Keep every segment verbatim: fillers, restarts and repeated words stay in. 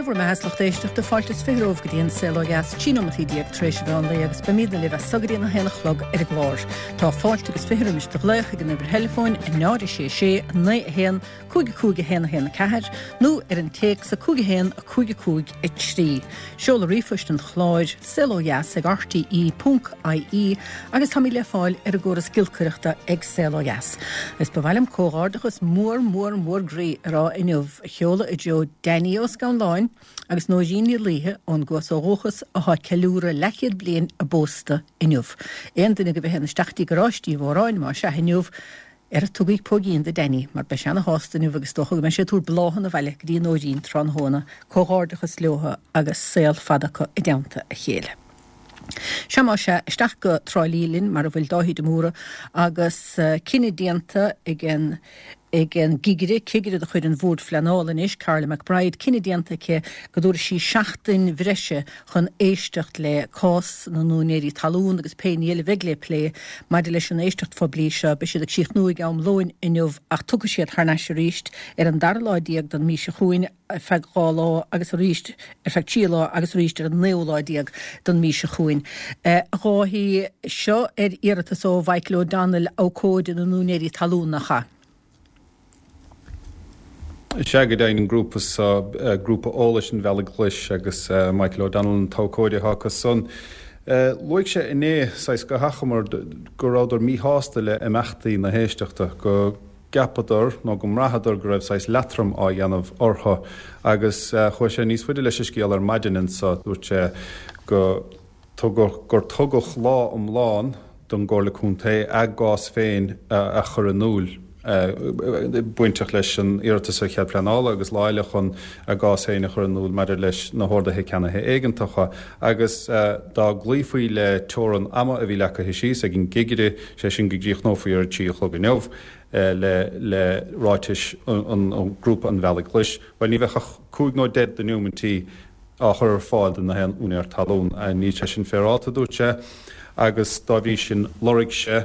bhur mbeatha is lucht éisteachta fáilte is fiche romhaibh go dtí an Saol Ó Dheas, trí nóimeataí déag tar éis an mheán lae agus beimidne libh as so go dtí an a haon a chlog ar an gclár. Tá fáilte agus fiche roimis do ghlaoch ag an uimhir theileafóin a náid a sé sé naoi a haon cúig a cúig a haon a haon a ceathair nó ar an téacs a cúig a haon a cúig a cúig a trí. Seoladh ríomhphoist an chláir saol ó dheas ag R T E ponc I E agus táimid le fáil ar an gcóras giolcaireachta ag Saol Ó Dheas. Is ba mhaith liom comhghairdeachas mór mór mór groí a rá inniu a sheoladh i dtreo Danny Ó Scanláin agus Nóirín Ní Laoithe ón gCuas ó dhúchas atá ag ceiliúradh leathchéad bliain a bpósta inniu. Aon duine agaibh a théann isteach dtí garáistí Mhóráin má sea inniu, ar tugaigí póigín do Danny, mar beidh sé ana-shásta inniu agus dócha go mbeidh sé ag tabhairt bláthanna abhaile go dtí Nóirín tráthnóna. Comhghairdeachas leo agus saol fada acu i dteannta a chéile. Sea má sea isteach go Trá Lí linn mar a bhfuil Dáithí de Mórdha agus cinneadh déanta ag an ag an gcigire, cigire de chuid an Bhoird Phleanála anois, Carla McBride, cinneadh déanta aici go dtabharfaidh sí seachtain bhreise chun éisteacht le cás na n-úinéirí talún agus pé ní eile a bheidh le plé maidir leis an éisteacht phoiblí seo. Beidh siad ag críochnú ag am lóin inniu ach tiocfaidh siad thar n-ais arís ar an dara lá déag den mhí seo chugainn ar feadh dhá lá agus arís ar feadh trí lá agus arís ar an naoú lá déag den mhí seo chugainn. A Dháithí, seo ar iarratas ó Mhichael O'Donnell, abhcóide na n-úinéirí talún, nach ea? Sea go deimhin, an grúpa seo, Grúpa Eolais an Bhealaigh Ghlais, agus Michael O'Donnell an t-abhcóide atá acu san. Luaigh sé inné, saghas go hachomair, go rabhadar míshásta le imeachtaí na héisteachta, go gceapadar nó go mbraitheadar go raibh saghas leatrom á dhéanamh orthu agus chuaigh sé níos faide leis an scéal ar maidin anseo. Dúirt sé go tugadh gur tugadh lá iomlán don gComhairle Contae a gcás féin a chur in iúl bainteach leis an iarratas ar chead pleanála agus lá eile chun a gcás féin a chur in iúl maidir leis na horduithe ceannaithe éigeantacha agus dá gcloífí le teorainn ama a bhí leagtha síos ag an gcigire, sé sin go gcríochnófaí ar a trí a chlog inniu le le ráitis an grúpa an Bhealaigh Ghlais. Bhuel, ní bheadh ach cúig nó deich de neomaintí á chur ar fáil do na haon úinéir talún. Níl sé sin féaráilte, dúirt sé, agus dá bhrí sin lorg sé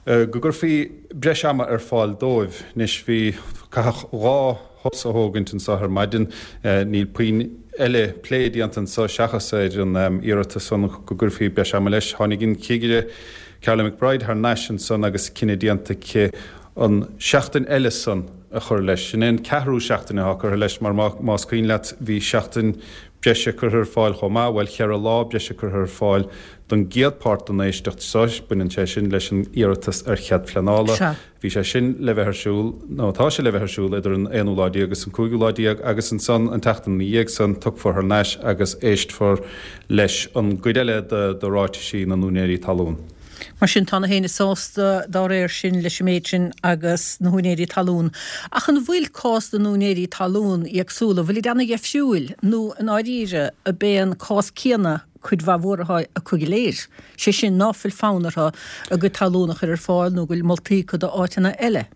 go gcuirfí breis ama ar fáil dóibh. Anois bhí caitheadh dhá shos a thógaint anseo ar maidin, níl puinn eile plé déanta anseo seachas ar an iarratas san go gcuirfí breis ama leis. Tháinig an cigire Carla McBride thar n-ais ansan agus cinneadh déanta aici an seachtain eile san a chur leis. Sin é an ceathrú seachtain atá curtha leis mar más cuimhin leat bhí seachtain breise curtha ar fáil chomh maith, bhuel cheithre lá breise curtha ar fáil don gcéad pháirt den éisteacht seo, baineann sé sin leis an iarratas ar chead pleanála. Bhí sé sin le bheith ar siúl, nó tá sé le bheith ar siúl idir an aonú lá déag agus an cúigiú lá déag agus ansan an tseachtain ina dhiaidh san tiocfar thar n-ais agus éistfear leis an gcuid eile de ráitisí na n-úinéirí talún. Mar sin tá na héinne sásta dá réir sin leis an méid sin agus na húinéirí talún. Ach an bhfuil cás na n-úinéirí talún éagsúla, bhfuil iad ana-dheifriúil nó i ndáiríre ab é an cás céanna cuid mhaith mhór atá acu go léir? Sé sin ná fuil fonn orthu a gcuid talún a chur ar fáil nó go bhfuil moltaí acu d'áiteanna eile.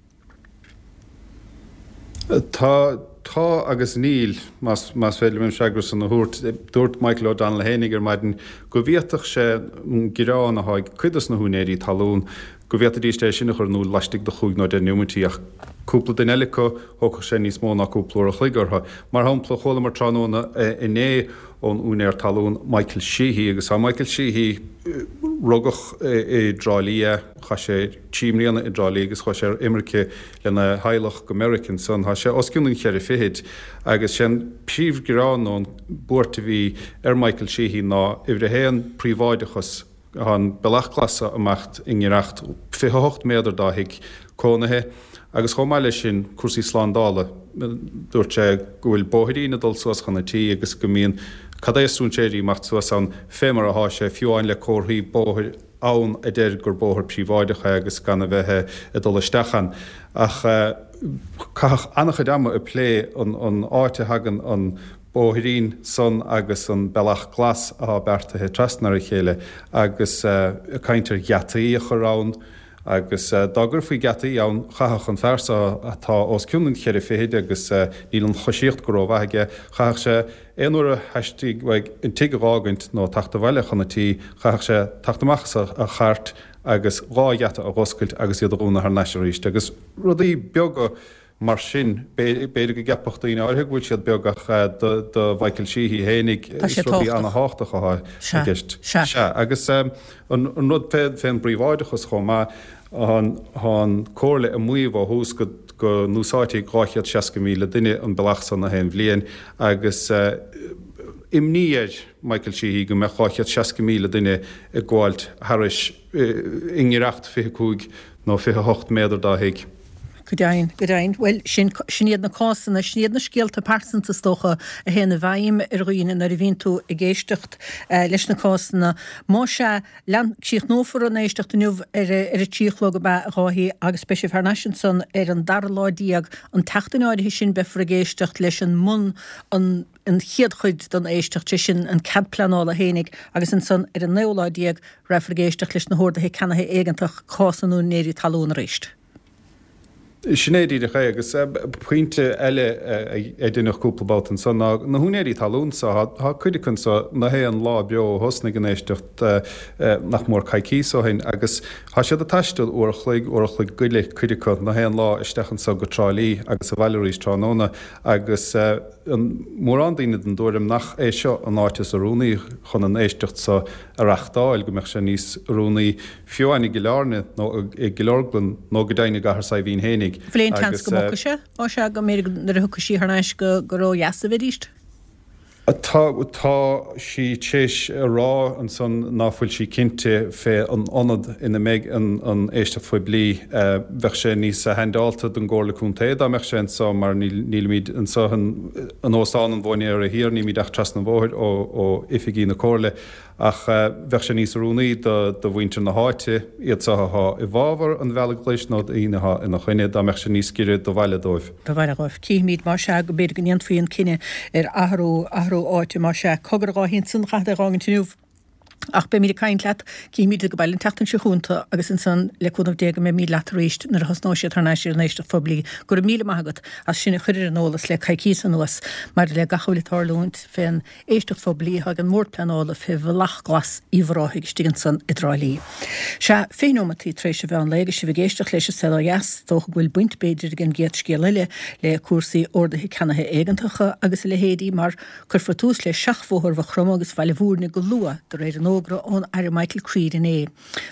Tá tá agus níl, más más féidir liom an freagra san a thabhairt. Dúirt Michael O'Donnell fhéinig ar maidin go bhféadfadh sé an gearán atá ag cuid dos na húinéirí talún go bhféadfaidís é sin a chur in iúl laistigh de chúig nó deich neomaintí ach cúpla duine eile acu thógfadh sé níos mó ná cúpla uair a chloig orthu. Mar shampla, chualamar tráthnóna inné ón úinéir talún Michael Sheehy agus tá Michael Sheehy rugadh i dTrá Lí é, chaith sé trí mbliana i dTrá Lí agus chuaigh sé ar imirce lena theaghlach go Meiriceá ansan. Tá sé os cionn an cheithre fichid agus sé an príomhghearán nó an buairt a bhí ar Michael Sheehy ná uimhir a haon príobháideachas. Tá an bealach glas ag imeacht i ngiorracht fiche a hocht méadar dá thigh cónaithe agus chomh maith leis sin cúrsaí slándála. Dúirt sé go bhfuil bóithrín ag dul suas chun an tí agus go mbíonn cad é strainséirí ag imeacht suas ann fé mar atá sé, fiú amháin le comharthaí bóthair ann a deir gur bóthar príobháideach é agus gan a bheith ag dul isteach ann. Ach caitheadh an-chuid ama ag plé an áit a thagann an bóithrín san agus an bealach glas atá beartaithe trasna ar a chéile agus ag caint ar gheataí a chur ann agus dá gcuirfí geataí ann chaithfeadh an fear seo atá os cionn an cheithre fichid agus níl an choisíocht go rómhaith aige, chaithfeadh sé aon uair a theastaigh uaidh an tigh a dh'fhágaint nó teacht abhaile chun an tí, chaithfeadh sé teacht amach as a chairt agus dhá gheata a dh'oscailt agus iad a dhúnadh thar n-ais arís agus rudaí beaga. mar sin, b'fhéidir go gceapfadh daoine áirithe go bhfuil siad beag ach do Mhichael Sheehy fhéinig is rudaí ana-thábhachtacha atá i gceist. Sea, agus an rud fén bpríobháideachas chomh maith, tá an Comhairle ag maíomh ó thús go go n-úsáidfidh dhá chéad seasca míle duine an bealach san na haon bhliain agus imní ar Michael Sheehy go mbeadh dhá chéad seasca míle duine ag gabháilt thairis i ngiorracht fiche cúig nó fiche hocht méadar dá thigh. Go deimhin, go deimhin. Bhuel, sin, sin iad na cásanna, sin iad na scéalta pearsanta is dócha a théann i bhfeidhm ar dhaoine nuair a bhíonn tú ag éisteacht leis na cásanna. Más ea, lean, críochnófar an éisteacht inniu ar a, ar a trí a chlog ab ea, a Dháithí, agus beidh sibh thar n-ais ansan ar an dara lá déag. An tseachtain áirithe sin beifear ag éisteacht leis an mbun, an, an chéad chuid den éisteacht, sé sin an cead pleanála fhéinig, agus ansan ar an naoú lá déag raghfar ag éisteacht leis na horduithe ceannaithe éigeantach, cás na n-úinéirí talún arís. Sin é díreach é, agus pointe eile a deineadh cúpla babhta ansan ná na húinéirí talún so, tá cuid acu anso na haon lá beo ó thosnaigh an éisteacht nach mór coicíos ó shin agus tá siad ag taisteal uair a chloig, uair a chloig go leith cuid acu na haon lá isteach anso go Trá Lí agus abhaile arís tráthnóna agus mórán daoine den dtuairim nach é seo an áit is oiriúnaí chun an éisteacht so a reachtáil, go mbeadh sé níos oiriúnaí fiú amháin i gCill Airne nó i gCill Orglan nó go deimhin i gCathair Saidhbhín fhéinig. Bhfuil aon tseans go mbogfaidh sé? Ó sea, go mb'fhéidir nuair a thiocfaidh sí thar n-ais go gur ó dheas a bheidís? Tá, tá sí t'éis a rá ansan ná fuil sí cinnte fé an ionad ina mbeidh an, an éisteacht phoiblí. Bheadh sé níos handáilte don gComhairle Contae dá mbeadh sé anso mar níl, nílimid anso in, in Óstán an Mhóinéara Thiar, nílimid ach trasna an bhóthair ó, ó oifigí na Comhairle. Ach bheadh sé níos oiriúnaí do mhuintir na háite, iad so athá i bhfabhar an Bhealaigh Ghlais nó daoine athá ina choinne, dá mbeadh sé níos giorra do bhaile dóibh. Do bhaile dóibh. Cífimid, más ea, go mb'fhéidir go ndéanfaí an cinneadh ar athrú, athrú áite, más ea. Cogar, a Dháithí, ansan, caithfead é a dh'fhágaint inniu. Ach beimid ag caint leat, cífimid go baile an tseachtain seo chugainn tu agus ansan, le cúnamh Dé, go mbeimid leat arís nuair a thosnóidh siad thar n-ais ar an éisteacht phoiblí. Go raibh míle maith agat as sinn a chur ar an eolas le coicíos anuas maidir le gach a bhfuil ag tarlúint fén éisteacht phoiblí atá ag an mBord Pleanála fé Bhealach Glas Uíbh Ráthaigh istigh ansan i dTrá Lí. Sea, fiche nóimeataí tar éis an mheán lae agus sibh ag éisteacht leis an Saol Ó Dheas, is dócha go bhfuil baint b'fhéidir ag an gcéad scéal eile le cúrsaí orduithe ceannaithe éigeantacha agus a leithéidí mar cuirfear tús le seachbhóthar Mhaigh Chromtha agus Bhaile Bhúirne go luath de réir an fhógra ón Aire Michael Creed inné.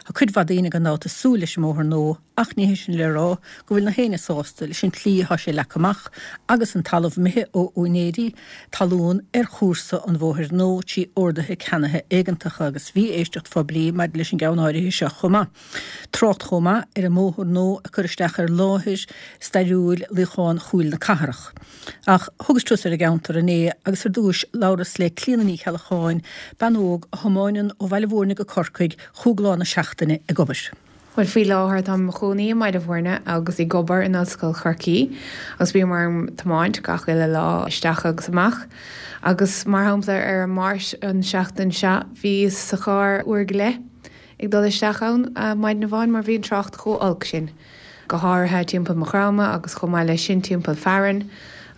Tá cuid mhaith daoine gan dabht ag súil leis an mbóthar nua Ach ní hé sin le rá go bhfuil na héinne sásta leis an tslí atá sé leagtha amach agus an talamh imithe ó úinéirí talún ar chúrsa an bhóthair nua trí orduithe ceannaithe éigeantacha agus bhí éisteacht phoiblí maidir leis an gceann áirithe seo chomh maith. Trácht chomh maith ar an mbóthar nua ag cur isteach ar láthair stairiúil Luíochán Chúil na Cathrach. Ach thugas turas ar an gceantar inné agus ar dtúis labhras le Clíona Ní Cheallacháin, bean óg a thiomáineann ó Bhaile Bhúirne go Corcaigh chúig lá na seachtaine ag obair. Bhuel, faoi láthair táim i mo chónaí i mBaile Bhúirne agus ag obair in Ollscoil Chorcaí agus bím orm tiomáint gach uile lá isteach agus amach. Agus mar shampla ar an Máirt an seachtain seo bhíos sa charr uair go leith ag dul isteach ann maidin amháin mar bhí an trácht chomh olc sin. go háirithe timpeall Maigh Chromtha agus chomh maith leis sin timpeall Fearann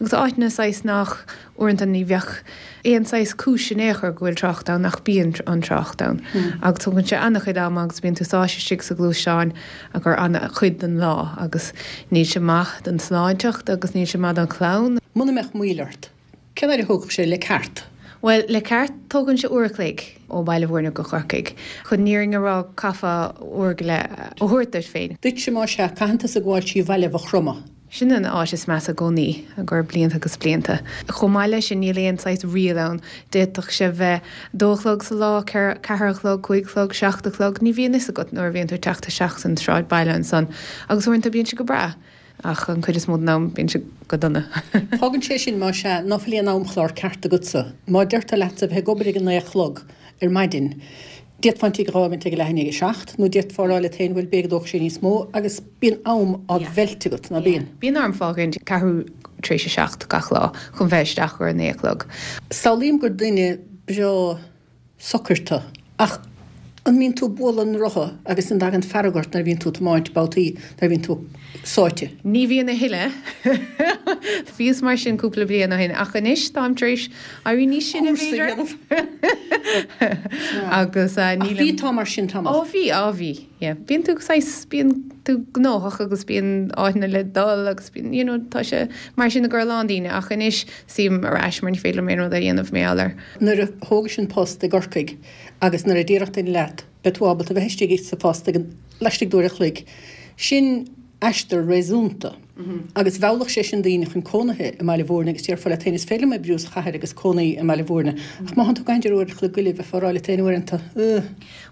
agus áiteanna saghas nach, uaireanta ní bheadh aon saghas cúis in aon chor go bhfuil trácht ann ach bíonn an trácht ann agus tógann sé an-chuid ama agus bíonn tú sáite istigh sa ghluaisteán ar feadh an-chuid den lá agus níl sé maith don tsláinteacht agus níl sé maith don chlann. Muna mbeadh moill ort, Cén fhaid a thógfadh sé le ceart? Bhuel, le ceart, tógann sé uair a chloig ó Bhaile Bhúirne go Corcaigh. Chun an fhírinne a rá, caithfeá uair go leith a thabhairt duit féin. Duitse, más ea, caitheann tusa gabháil trí bhaile Mhaigh Chromtha. Sin an áit is measa i gcónaí, i gcomhair blianta agus blianta. Chomh maith leis sin, níl aon saghas riail ann. D'fhéadfadh sé bheith dó a chlog sa lá, ceathair a chlog, cúig a chlog, seacht a chlog, ní bhíonn fhios agat nuair a bhíonn tú ag teacht isteach san sráidbhaile ansan. Agus uaireanta bíonn sé go breá. Ach an cuid is mó den am bíonn sé go dona. Fágann sé sin, más ea, ná fuil aon amchlár ceart agatsa. Má deirtear leatsa bheith ag obair ag a naoi a chlog ar maidin, d'fhéadfá an tigh a dh'fhágaint ag a leath i ndiaidh a seacht, nó d'fhéadfá a rá leat féin, bhuel, b'fhéidir go dtógfaidh sé níos mó, agus bíonn am á mheilt agat, ná bíonn? Bíonn orm fágaint ceathrú tar éis a seacht gach lá chun bheith isteach ar a naoi a chlog. Samhlaím gur duine breá socair tu. Ach an mbíonn tú ag bualadh an rotha agus an dtagann fearg ort nuair a bhíonn tú ag tiomáint babhtaí nuair a bhíonn tú sáite? Ní bhíonn a thuilleadh. Bhíos mar sin cúpla bliain ó shin ach anois táim tar éis éirí níos sine Cúrsa a b'fhéidir. dhéanamh. Agus Ach nílim. bhí tú mar sin tamall. Ó bhí, á bhí. Yeah, bíonn tú saghas bíonn tú gnóthach agus bíonn áiteanna le dul agus bíonn you know, tá sé mar sin do a lán daoine ach anois suím ar ais mar ní féidir liom aon rud a dhéanamh mar gheall air. Nuair a thógais an post i gCorcaigh agus nuair a déarfadh duine leat beidh tú ábalta bheith istigh sa phost ag laistigh d'uair a chloig. Sin aistear réasúnta. Agus mheallfadh sé sin daoine chun cónaithe i mBaile Mhúirne agus déarfá leat féin is féidir liom oibriú sa chathair agus cónaí i mBaile Mhúirne. Ach má thánn tú ag caint ar uair a chloig go leith bheifeá ag rá leat féin uaireanta, ugh.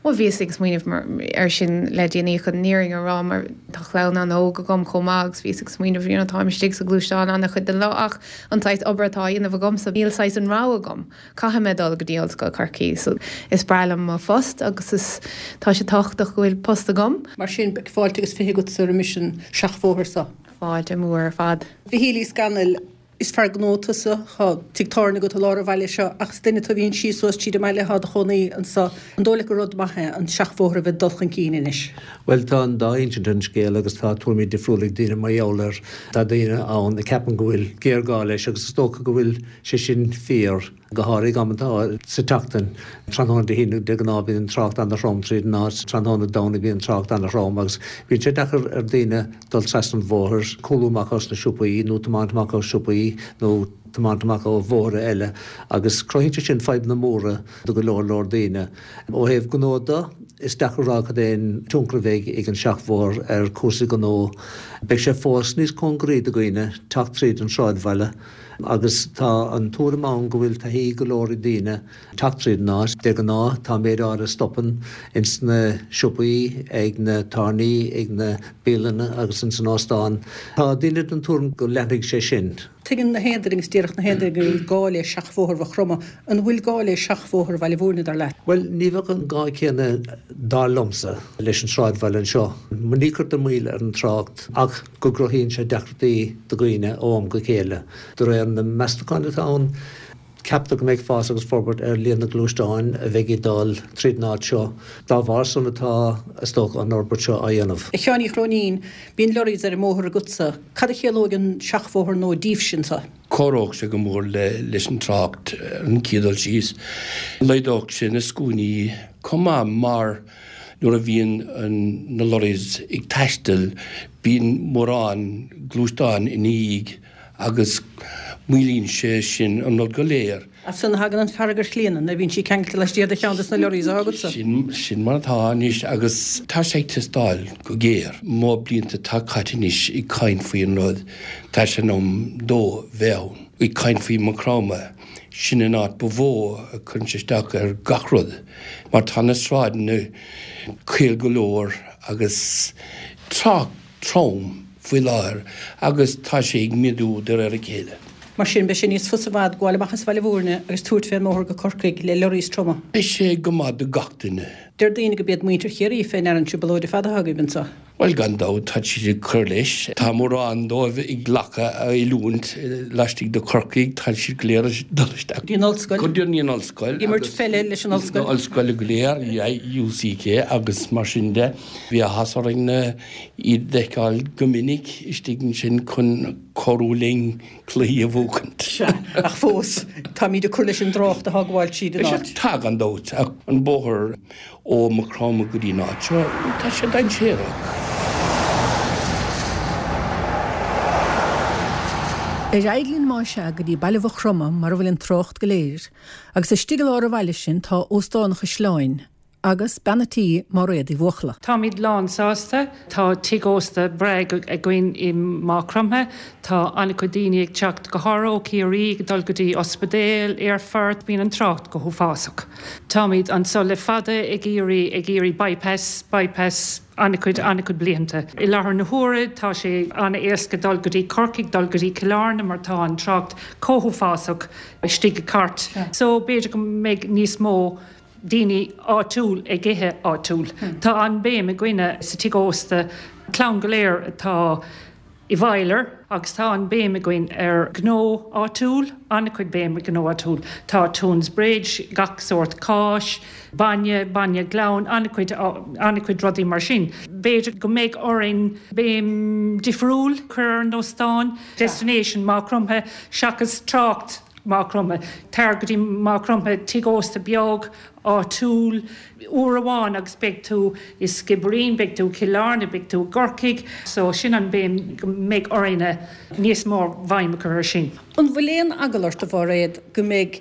Bhuel bhíos ag smaoineamh ar sin le déanaí chun an fhírinne a rá mar tá clann an-óg agam chomh maith agus bhíos ag smaoineamh you know, táim istigh sa ghluaisteán an-chuid den lá ach an saghas obair atá á dhéanamh agamsa níl saghas an rogha agam. Caithfidh mé dul go dtí Ollscoil Chorcaí, so is breá liom mo phost agus is tá sé tábhachtach go bhfuil post agam. Mar sin beidh fáilte agus fiche agatsa roimis an seachbhóthar seo. Fáilte mór ar fad. Mhichíl Uí Scanaill, is fear gnó tusa, tá tigh tábhairne agat i lár an bhaile seo ach is duine tú a bhíonn síos suas tríd an mbaile thá do chónaí anso. An dóigh leat gur rud maith é an seachbhóthar a bheith ag dul chun cinn anois? Bhuel tá an dá insint ar an scéal agus tá tuairimí difriúla ag daoine mar gheall air. Tá daoine ann a ceapann go bhfuil géarghá leis agus is dócha go bhfuil sé sin fíor. Go háirithe amanta sa tseachtain, tráthnóna Dé hAoine de ghnáth bíonn an trácht an-throm tríd an áit, tráthnóna Domhnaigh bíonn an trácht an-throm agus bíonn sé deacair ar dhaoine dul trasna an bhóthair, cúlú amach os na siopaí nó tiomáint amach ó siopaí nó tiomáint amach ó bhóithre eile agus cruthaíonn sé sin fadhbanna móra do go leor leor daoine. Ó thaobh gnó de, is deacair a rá cad é an tionchar a bheidh ag an seachbhóthar ar chúrsaí gnó. Beidh sé fós níos cóngaraí do dhaoine teacht tríd an sráidbhaile. Agus tá an tuairim ann go bhfuil taithí go leor ag daoine teacht tríd an áit. De ghnáth, tá méid áirithe stopann ins na siopaí, ag na tábhairní, ag na bialanna agus ins an óstán. Tá daoine den tuairim go leanfaidh sé sin. Tuigeann na haon duine agus déarfadh na haon duine go bhfuil gá le seachbhóthar Mhaigh Chromtha. An bhfuil gá le seachbhóthar Bhaile Mhúirne, dar leat? Bhuel, ní bheadh an gá céanna, dar liomsa, leis an sráidbhaile anseo. Ní chuirtear moill ar an trácht ach go gcruthaíonn sé deacrachtaí do dhaoine ó am go chéile. De réir na meastachán atá ann, ceaptar go mbeidh fás agus forbairt ar líon na ngluaisteán a bheidh ag dul tríd an áit seo. Dá bharr san atá, is dócha, an fhorbairt seo á dhéanamh. A Sheáin Uí Chróinín, bíonn lorries ar an mbóthar agatsa. Cad a chiallóidh an seachbhóthar nua daoibhse anseo? Cabhródh sé go mór leis an trácht ar an gcéad dul síos. Laghdódh sé na scuainí chomh maith mar nuair a bhíonn na lorries ag taisteal bíonn mórán gluaisteán ina dhiaidh agus moillíonn sé sin an rud go léir. As san a thagann an fearg ar Chlíona nuair a bhíonn sí ceangailte laistiar de cheann de na lorries atá agatsa. Sin, sin mar atá anois agus tá sé ag teastáil go géar. Mo blianta atá caite anois ag caint faoi an rud, tá sé in am dó bheith ann. Ag caint faoi Maigh Chromtha, sin an áit ba mhó a chuireann sé isteach ar gach rud mar tá na sráideanna caol go leor agus trácht trom faoi láthair agus tá sé ag méadú de réir a chéile. Mar sin, beidh sé níos fusa i bhfad gabháil amach as Baile Mhúirne agus tabhairt fén mbóthar go Corcaigh le lorries troma. Beidh sé go maith do gach duine. Deir daoine go b'iad muintir Chiarraí fé ndear an trioblóid fada atá agaibh anseo. Bhuel, gan dabht, tá siad ag cur leis. Tá mórán dóibh ag glacadh oiliúint laistigh de Chorcaigh, tá siad go léir ag dul isteach. Go dtí an ollscoil. Go dtí an ollscoil. Ag imirt peile leis an ollscoil. Ollscoil go léir, UCK agus mar sin de. Bhí áthas orainn iad a fheiceáil go minic istigh ansin chun cabhrú linn cluichí a bhuachaint. Sea, ach fós, táimid ag cur leis an dtrácht atá ag gabháil tríd an áit. Tá, gan dabht, ach an bóthar ó Maigh Chromtha go dtí an áit seo, tá sé dainséarach. Ar aghaidh linn más ea go dtí Baile Mhaigh Chromtha mar a bhfuil an trácht go léir, agus istigh i lár an bhaile sin tá Óstán an Chaisleáin agus bean a' tí Máiréad Uí Bhuachalla. Táimid lán sásta. Tá tigh ósta breá againn i Maigh Chromtha. Tá an-chuid daoine ag teacht go háirithe ó Chiarraí ag dul go dtí ospidéal, aerfort, bíonn an trácht go huafásach. Táimid anso le fada ag iarraidh ag iarraidh bypass, bypass an-chuid an-chuid blianta. I láthair na huaire tá sé an-éasca dul go dtí Corcaigh, dul go dtí Cill Airne mar tá an trácht chomh huafásach istigh i gCairt. So b'fhéidir go mbeidh níos mó daoine áitiúil ag ithe áitiúil. Tá an béim againne sa tigh ósta, clann go léir atá i bhFoghludar agus tá an béim againn ar gnó áitiúil, an-chuid béim ar gnó áitiúil. Tá Toonsbridge, gach sórt cáis, bainne, bainne glan, an-chuid an-chuid rudaí mar sin. B'fhéidir go mbeidh orainn béim difriúil cur ar an óstán, destination Maigh Chromtha seachas trácht. Maigh Chromtha. Tar go dtí Maigh Chromtha, tigh ósta beag, áitiúil, uair amháin agus beidh tú i Skibbereen, beidh tú i Cill Airne, beidh tú i gCorcaigh. So sin an béim go mbeidh orainne níos mó bhéim a chur ar sin. An bhfuil aon eagla ort, a Mhairéad, go mbeidh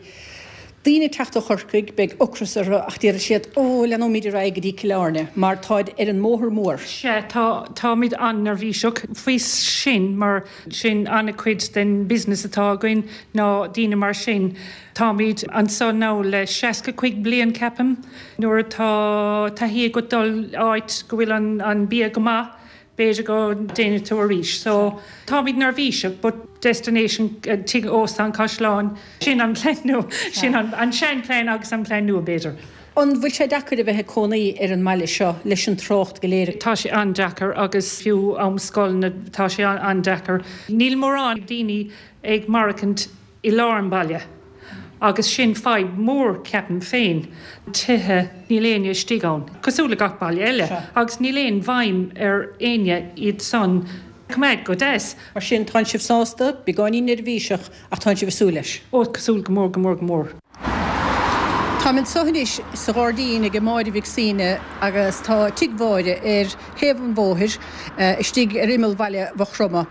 daoine ag teacht ó Chorcaigh, beidh ocras orthu ach déarfaidh siad, ó, leanóimid ar aghaidh go dtí Cill Airne mar táid ar an mbóthar mór. Sea, tá, táimid an-neirbhíseach faoi sin mar sin an-chuid den business atá againn ná daoine mar sin. Táimid anso now le seasca cúig bliain ceapaim. Nuair atá taithí agat dul áit go bhfuil an, an bia go maith, b'fhéidir go ndéanfaidh tú arís. So, táimid neirbhíseach, but destination Tigh Ósta an Chaisleáin, sin an plean nua, sin an, an seanphlean agus an plean nua, b'fhéidir. An bhfuil sé deacair a bheith ag cónaí ar an mbaile seo leis an trácht go léir? Tá sé an-deacair agus fiú am scoil tá sé an-deacair. Níl mórán daoine ag maireachtaint i lár an bhaile agus sin fadhb mór ceapaim féin. Tithe, níl éinne istigh ann, cosúil le gach baile eile, agus níl aon bhéim ar éinne iad san a choimeád go deas. Mar sin, tánn sibh sásta, beagáinín neirbhíseach, ach tánn sibh ag súil leis. Ó, cosúil go mór, go mór, go mór. Táim anseo anois sa ghairdín ag Máire Mhic Suibhne agus tá tigh Mháire ar thaobh an bhóthair istigh ar imeall bhaile Mhaigh Chromtha.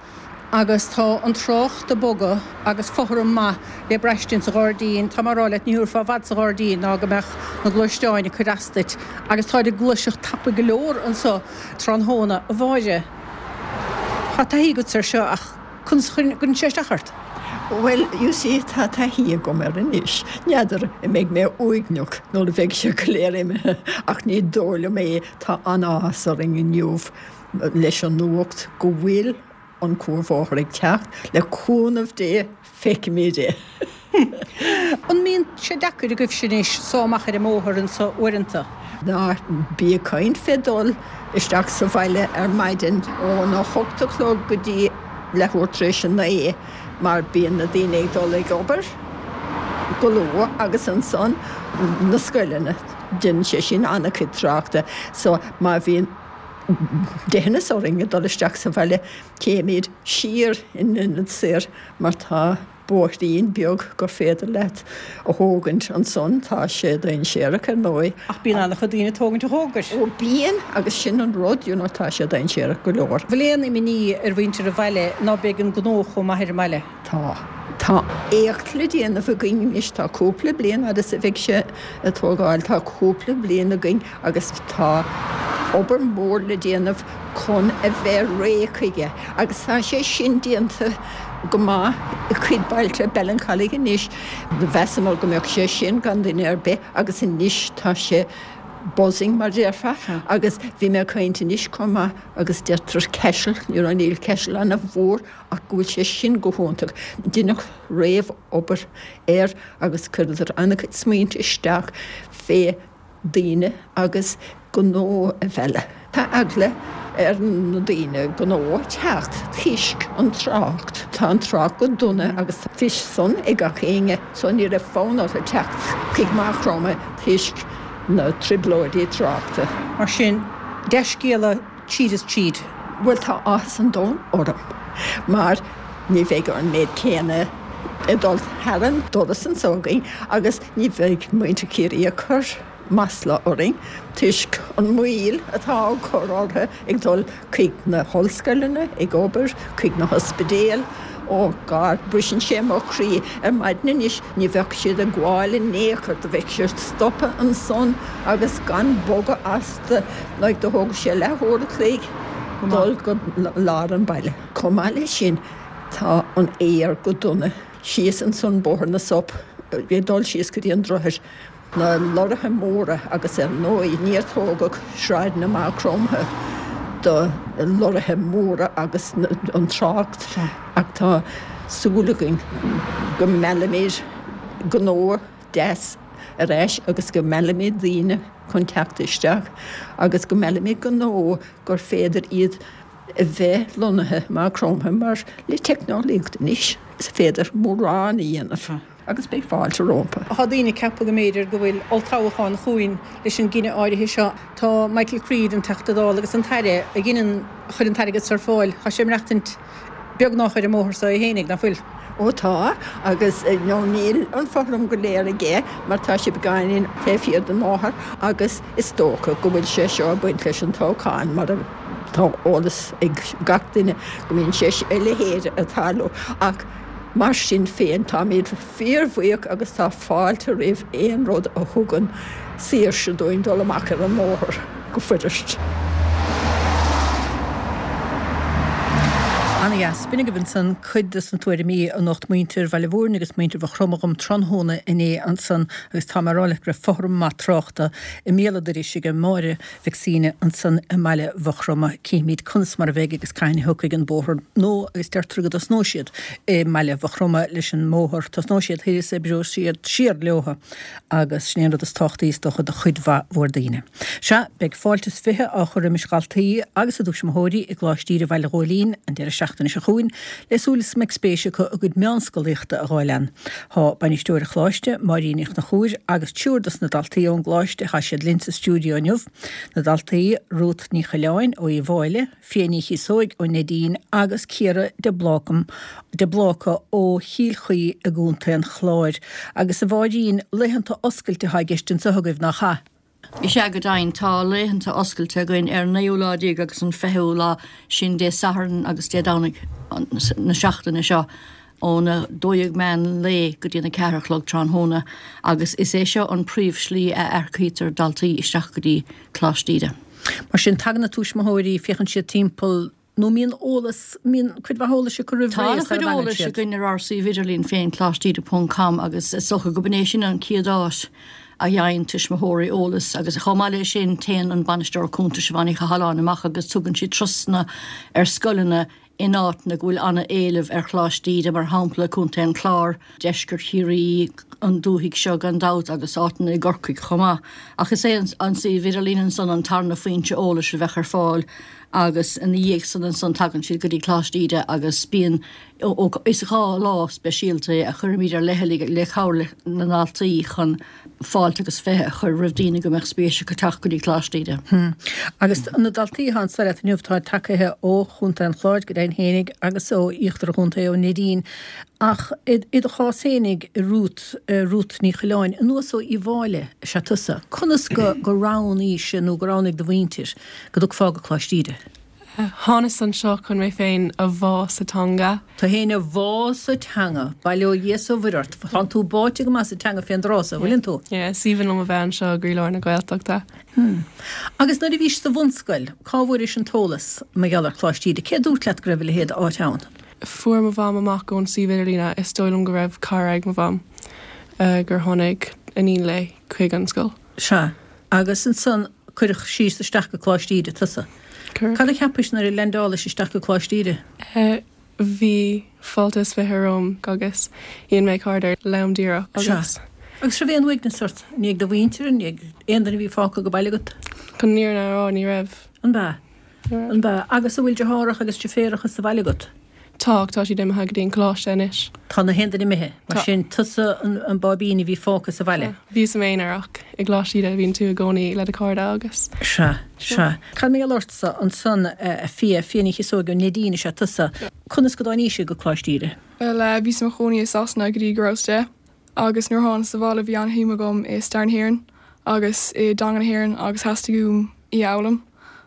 Agus tá an trácht ag bogadh agus fothram maith le braistint sa ghairdín. Tá mé ag rá leat, ní thabharfá i bhfad sa ghairdín ná go mbeadh na gluaisteáin ag cur as duit. Agus táid ag gluaiseacht tapaidh go leor anso tráthnóna. A Mháire, tá taithí agatsa air seo ach conas a chuireann sé isteach ort? Bhuel, you see, tá taithí agam air anois. N'fheadar an mbeidh mé uaigneach nuair a bheidh sé go léir imithe ach ní dóigh liom é. Tá an-áthas orainn inniu leis an nuacht go bhfuil an cuarbhóthar ag teacht, le cúnamh Dé, feicfimid é. An mbíonn sé deacair agaibhse anois sá amach ar an mbóthar anso uaireanta? Ná bí ag caint fé dul isteach sa bhaile ar maidin óna hocht a chlog go dtí leathuair tar éis a naoi mar bíonn na daoine ag dul ag obair go luath agus ansan na scoileanna, déanann sé sin an-chuid tráchta so má bhíonn deitheanas orainn ag dul isteach sa bhaile, téimid siar in ionad soir mar tá bóithrín beag gur féidir leat a thógaint ansan. Tá sé dainséarach ar ndóigh. Ach bíonn an-chuid daoine ag tógaint an chómhgair. Ó bíonn, agus sin an rud, you know, tá sé dainséarach go leor. Bhfuil aon imní ar mhuintir an bhaile ná beidh an gnó chomh maith ar an mbaile? Tá. Tá éacht le déanamh againn anois, tá cúpla bliain fhad is a bheidh sé ag tógáil, tá cúpla bliain againn agus tá obair mhór le déanamh chun a bheith réidh chuige agus tá sé sin déanta go maith i cuid bailte, Ballincollig anois, mheasamar go mbeadh sé sin gan duine ar bith agus anois tá sé buzzing mar déarfá agus bhí mé ag caint anois chomh maith agus deirtear Caiseal, you know, níl Caiseal ana-mhór ach go bhfuil sé sin go hiontach. Deineadh réamh-obair air agus chuireadar an-chuid smaointe isteach fé daoine agus gnó a mhealladh. Tá eagla ar na daoine gnó teacht toisc an trácht. Tá an trácht go dona agus tá fios san ag gach éinne so ní raibh fonn orthu teacht chuig Maigh Chromtha toisc na trioblóidí tráchta. Mar sin, dea-scéala tríd is tríd. Bhuel tá áthas an domhain orm mar ní bheidh an méid céanna ag dul thar an doras anso againn agus ní bheidh muintir Chiarraí ag cur masla orainn toisc an mhoill atá á cur orthu ag dul chuig na hollscoileanna, ag obair, chuig na hospidéil. Ó God, briseann sé mo chroí ar maidin anois, ní bheadh siad ag gabháil in aon chor, do bheadh siad stoptha ansan agus gan bogadh astu, like do thógadh sé leathuair a chloig dul go lár an bhaile. Chomh maith leis sin, tá an aer go dona síos ansan Bóthar na Sop, ag dul síos go dtí an droichead. Na lorraithe móra agus ar ndóigh níor tógadh sráideanna Maigh Chromtha do lorraithe móra agus an trácht ach tá súil againn go meallfaimid gnó deas ar ais agus go meallfaimid daoine chun teacht isteach agus go meallfaimid gnó gur féidir iad a bheith lonnaithe i Maigh Chromtha mar le teicneolaíocht anois is féidir mórán a dhéanamh. Agus beidh fáilte rompu. Tá daoine ag ceapadh go mb'fhéidir go bhfuil olltoghchán chugainn leis an gcinneadh áirithe seo. Tá Michael Creed, an Teachta Dála agus an tAire a dhein an, a chuir an t-airgead seo ar fáil, tá sé ag maireachtaint beagnach ar an mbóthar seo é fhéinig, nach bhfuil? Ó tá, agus nó níl an fothram go léir aige mar tá sé beagáinín taobh thiar den mbóthar agus is dócha go bhfuil sé seo ag baint leis an toghchán mar tá eolas ag gach duine go mbíonn sé a leithéid ag tarlú ach mar sin féin táimid fíorbhuíoch agus tá fáilte roimh aon rud a thugann saoirse dúinn dul amach ar an mbóthar go fuirist. Ana-dheas. B'in agaibh ansan cuid de na tuairimí a nocht muintir Bhaile Mhúirne agus muintir Mhaigh Chromtha dhom tráthnóna inné ansan agus tá mé ag rá leat go raibh fothram maith tráchta i mbéal an dorais ag Máire Mhic Suibhne ansan i mbaile Mhaigh Chromtha. Cífimid conas mar a bheidh agus cathain a thiocfaidh an bóthar nua agus deirtear go dtosnóidh siad i mbaile Mhaigh Chromtha leis an mbóthar. Tosnóidh siad thoir is oibreoidh siad siar leotha agus sin é an rud is tábhachtaí is dócha do chuid mhaith mhór daoine. Sea, beidh fáilte is fiche á chur roimis dhaltaí agus a dtuismitheoirí i gColáiste Íde Bhaile Ghóilín an deireadh seachtaine seo chugainn le súil is go mbeidh spéis acu a gcuid meánscolaíochta a dh'fháil ann. Tá bainisteoir an choláiste, Máirín Ní Chonchúir, agus triúr dos na daltaí ón gcoláiste, tá siad linn sa stiúideo inniu, na daltaí, Ruth Ní Choileáin ó Uíbh Fhailí, Fia Ní Chíosóig ó Neidín agus Ciara de Blácam, de Bláca ó Chill Chaoi i gContae an Chláir. Agus a Mháirín, laethanta oscailte atá i gceist anseo agaibh, nach ea? Is ea go deimhin, tá laethanta oscailte againn ar an naoú lá déag agus an fichiú lá, sin Dé Sathairn agus Dé Domhnaigh na seachtaine seo, óna dó dhéag meán lae go dtí an a ceathair a chlog tráthnóna agus is é seo an príomhshlí a earcaítear daltaí isteach go dtí Coláiste Íde. Mar sin, tagann na tuismitheoirí, féachann siad timpeall, nó mbíonn eolas, mbíonn cuid mhaith eolais acu roimh Tá ré an-chuid sara dtagann eolais siad. againn ar ár suíomh idirlín féin, coláisteíde ponc com, agus is dócha go b'in é sin an chéad áit a gheibheann tuismitheoirí eolas agus chomh maith leis sin téann an Bainisteoir Cúnta Siobhán Ní Chathalláin amach agus tugann sí turasanna ar scoileanna in áiteanna go bhfuil an-éileamh ar Choláiste Íde, mar shampla Contae an Chláir, deisceart Chiarraí, an dúthaigh seo gan dabht agus áiteanna i gCorcaigh chomh maith. Ach is é an suíomh idirlín ansan an tarna foinse eolais a bheadh ar fáil agus ina dhiaidh san ansan tagann siad go dtí Coláiste Íde agus bíonn Is dhá lá speisialta é a chuirimid ar leithligh le cabhair leis na ndaltaí chun fáilte agus fiche a chur roimh daoine go mbeadh spéis acu teacht go dtí Coláiste Íde. Agus na daltaí atá anseo leat inniu, tá tagaithe ó Chontae an Chláir go deimhin fhéinig agus ó íochtar an chontae ó Neidín. Ach i do chás fhéinig, Ruth, Ruth Ní Choileáin, anuas ó Uíbh Fhailí is ea tusa. Conas go roghnaís nó go roghnaigh do mhuintir go dtiocfá go Coláiste Íde? Thánas anseo chun mé féin a bhá sa teanga. Tú féin a bhá sa teanga. Bail ó Dhia 's ó Mhuire ort. Tánn tú báite go maith sa teanga fén dtráth so, bhfuileann tú? Yeah, is aoibhinn liom a bheith anseo i gcroílár na Gaeltachta. Hmm. Agus nuair a bhís sa bhunscoil, cá bhfuairis an t-eolas mar gheall ar Choláiste Íde? Cé a dúirt leat go raibh a leithéid d'áit ann? Fuair mo mham amach ón suíomh idirlíne, is dóigh liom go raibh cara ag mo mham gur tháinig iníon léi chuig an scoil. Sea. Agus ansan cuireadh síos isteach go Coláiste Íde tusa. Cuireadh. Cad a cheapais nuair a leaindeálais isteach go Coláiste Íde? Bhí fáilte is fiche romham agus dhein mé cairde lom díreach agus. Sea. Agus raibh aon uaigneas ort i ndiaidh do mhuintire, i ndiaidh aon duine a bhí fágtha go baile agat? Chun an fhírinne a rá, ní raibh. An b'ea? An b'ea? Agus an bhfuil deartháireacha agus deirféaracha sa bhaile agat? Tá, ach tá siad imithe go dtí an coláiste anois. Tá na haon duine imithe. Mar Tá. sin, tusa an báibín a bhí fágtha sa bhaile. Tá. Bhíos i m'aonar ach i gColáiste Íde bíonn tú i gcónaí le do chairde agus. Sea, sea. Cad mar gheall ortsa ansan, a Phia, Fia Ní Chíosóig ó Neidín is ea tusa. Conas go dtáinís go Coláiste Íde? Bhuel, bhíos i mo chónaí i Sasana go dtí go rabhas deich agus nuair a thánas abhaile bhí an-shuim agam i stair na hÉireann agus i dteanga na hÉireann agus theastaigh uaim í a fhoghlaim.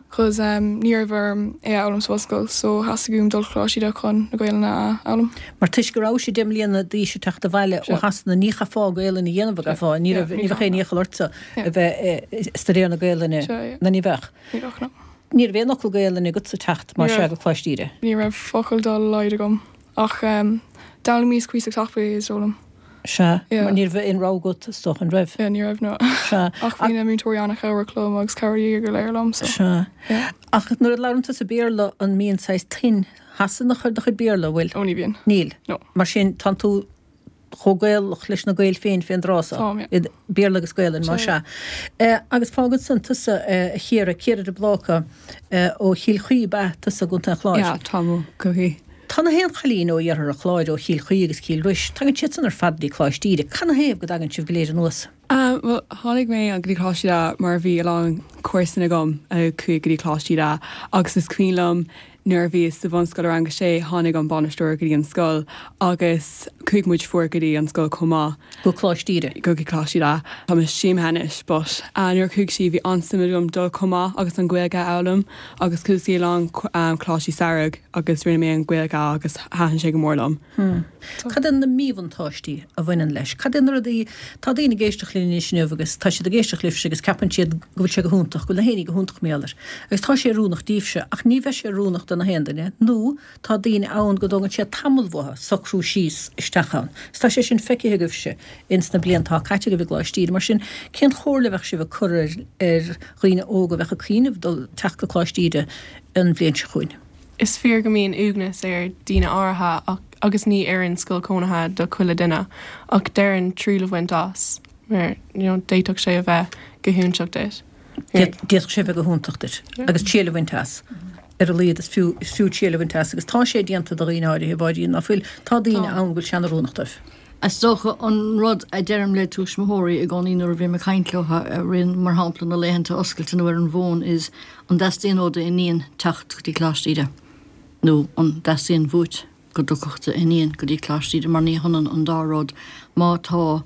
'Cause ní raibh orm é a fhoghlaim sa bhunscoil so theastaigh uaim dul Coláiste Íde chun na Gaelainne a fhoghlaim. Mar toisc go rabhais deich mbliana d'aois ag teacht abhaile ó Shasana ní chaithfeá Gaelainn a dhéanamh a gcaithfeá, ní raibh, ní bheadh aon iachall ortsa a bheith ag staidéar na Gaelainne, nó ní bheadh? Ní bheadh, no. Ní raibh aon fhocal Gaelainne agatsa ag teacht mar sea go Coláiste Íde? Ní raibh focal dá laghad agam ach d'fhoghlaimíos cuíosach tapaidh is dóigh liom. Sea, Yeah. mar ní raibh aon rogha agat, is dócha, an raibh? Yeah, ní raibh, no. Sea. Ach bhí na múinteoirí an-chabhrach liom agus chabhraigh go léir liom, so. Sea. Yeah. Ach nuair a labhrann tusa Béarla, an mbíonn saghas tuin Shasanach ar do chuid Béarla, an bhfuil? Ó, ní bhíonn. Níl? No. Mar sin, tánn tú chomh Gaelach leis na Gaeil féin fén dtráth so. Táim, yeah. Béarla agus Gaelainn, má Sea. sea. Agus fágann san tusa, a Chiara, Ciara de Bláca, ó Chill Chaoi, ab ea tusa i gContae an Chláir? Yeah, táim ó Chill Chaoi. Tá na haon chailín ó iarthar an Chláir, ó Chill Chaoi agus Cill Rois, tagann siad san ar fad dtí Coláiste Íde. Canathaobh go dtagann sibh go léir anuas? Um, bhuel, tháinig mé go dtí Coláiste Íde mar bhí a lán comharsan agam a chuaigh go dtí Coláiste Íde agus is cuimhin liom Nuair a bhíos sa bhunscoil rang a sé tháinig an bainisteoir go dtí an scoil agus chuaigh muid fuar go dtí an scoil chomh maith. Go Coláiste Íde. Go go Coláiste Íde. Tá mé imithe anois, but uh, nuair chuaigh sí bhí an-suim agam dul chomh maith agus an Ghaeilge a fhoghlaim agus chuaigh sí lán um, Coláiste Samhraidh agus rinne mé an Ghaeilge agus thaitin sé go mór liom. Hmm. Cad é na míbhuntáistí a bhaineann leis? Cad é na rudaí tá daoine ag éisteacht linn anois inniu agus tá siad ag éisteacht libhse agus ceapann siad go bhfuil sé go hiontach, go bhfuil na héinní go hiontach méalar. Agus tá sé oiriúnach daoibhse ach ní bheidh sé oiriúnach do na haon duine, nó tá daoine ann go dtógann sé tamall uathu socrú síos isteach ann. Is tá sé sin feicthe agaibhse ins na blianta caite agaibh i gColáiste Íde. Mar sin cén chomhairle a bheadh sibh ag cur ar ar dhaoine óga a bheadh ag cuimhneamh dul teacht go Coláiste Íde an bhliain seo chugainn? Is fíor go mbíonn uaigneas ar daoine áirithe ach, agus ní oireann scoil cónaithe do chuile duine ach déarfainn triail a bhaint as mar you know, d'fhéadfadh sé a bheith go hiontach duit. D'fhéadfadh sé bheith go hiontach duit agus triail a bhaint as. Ar a laghad is fiú is fiú triail a bhaint as agus tá sé déanta do dhaoine áirithe bháirín ná fuil tá daoine ann go bhfuil sé an-oiriúnach dóibh. Is dócha an rud a deirim le tuismitheoirí i gcónaí nuair a bhím ag caint leo rin mar shampla na laethanta oscailte nó ar an bhfón is an dteastaíonn ó d'iníon teacht go dtí Coláiste Íde nó an dteastaíonn uait go dtiocfadh d'iníon go dtí Coláiste Íde mar ní hionann an dá rud má tá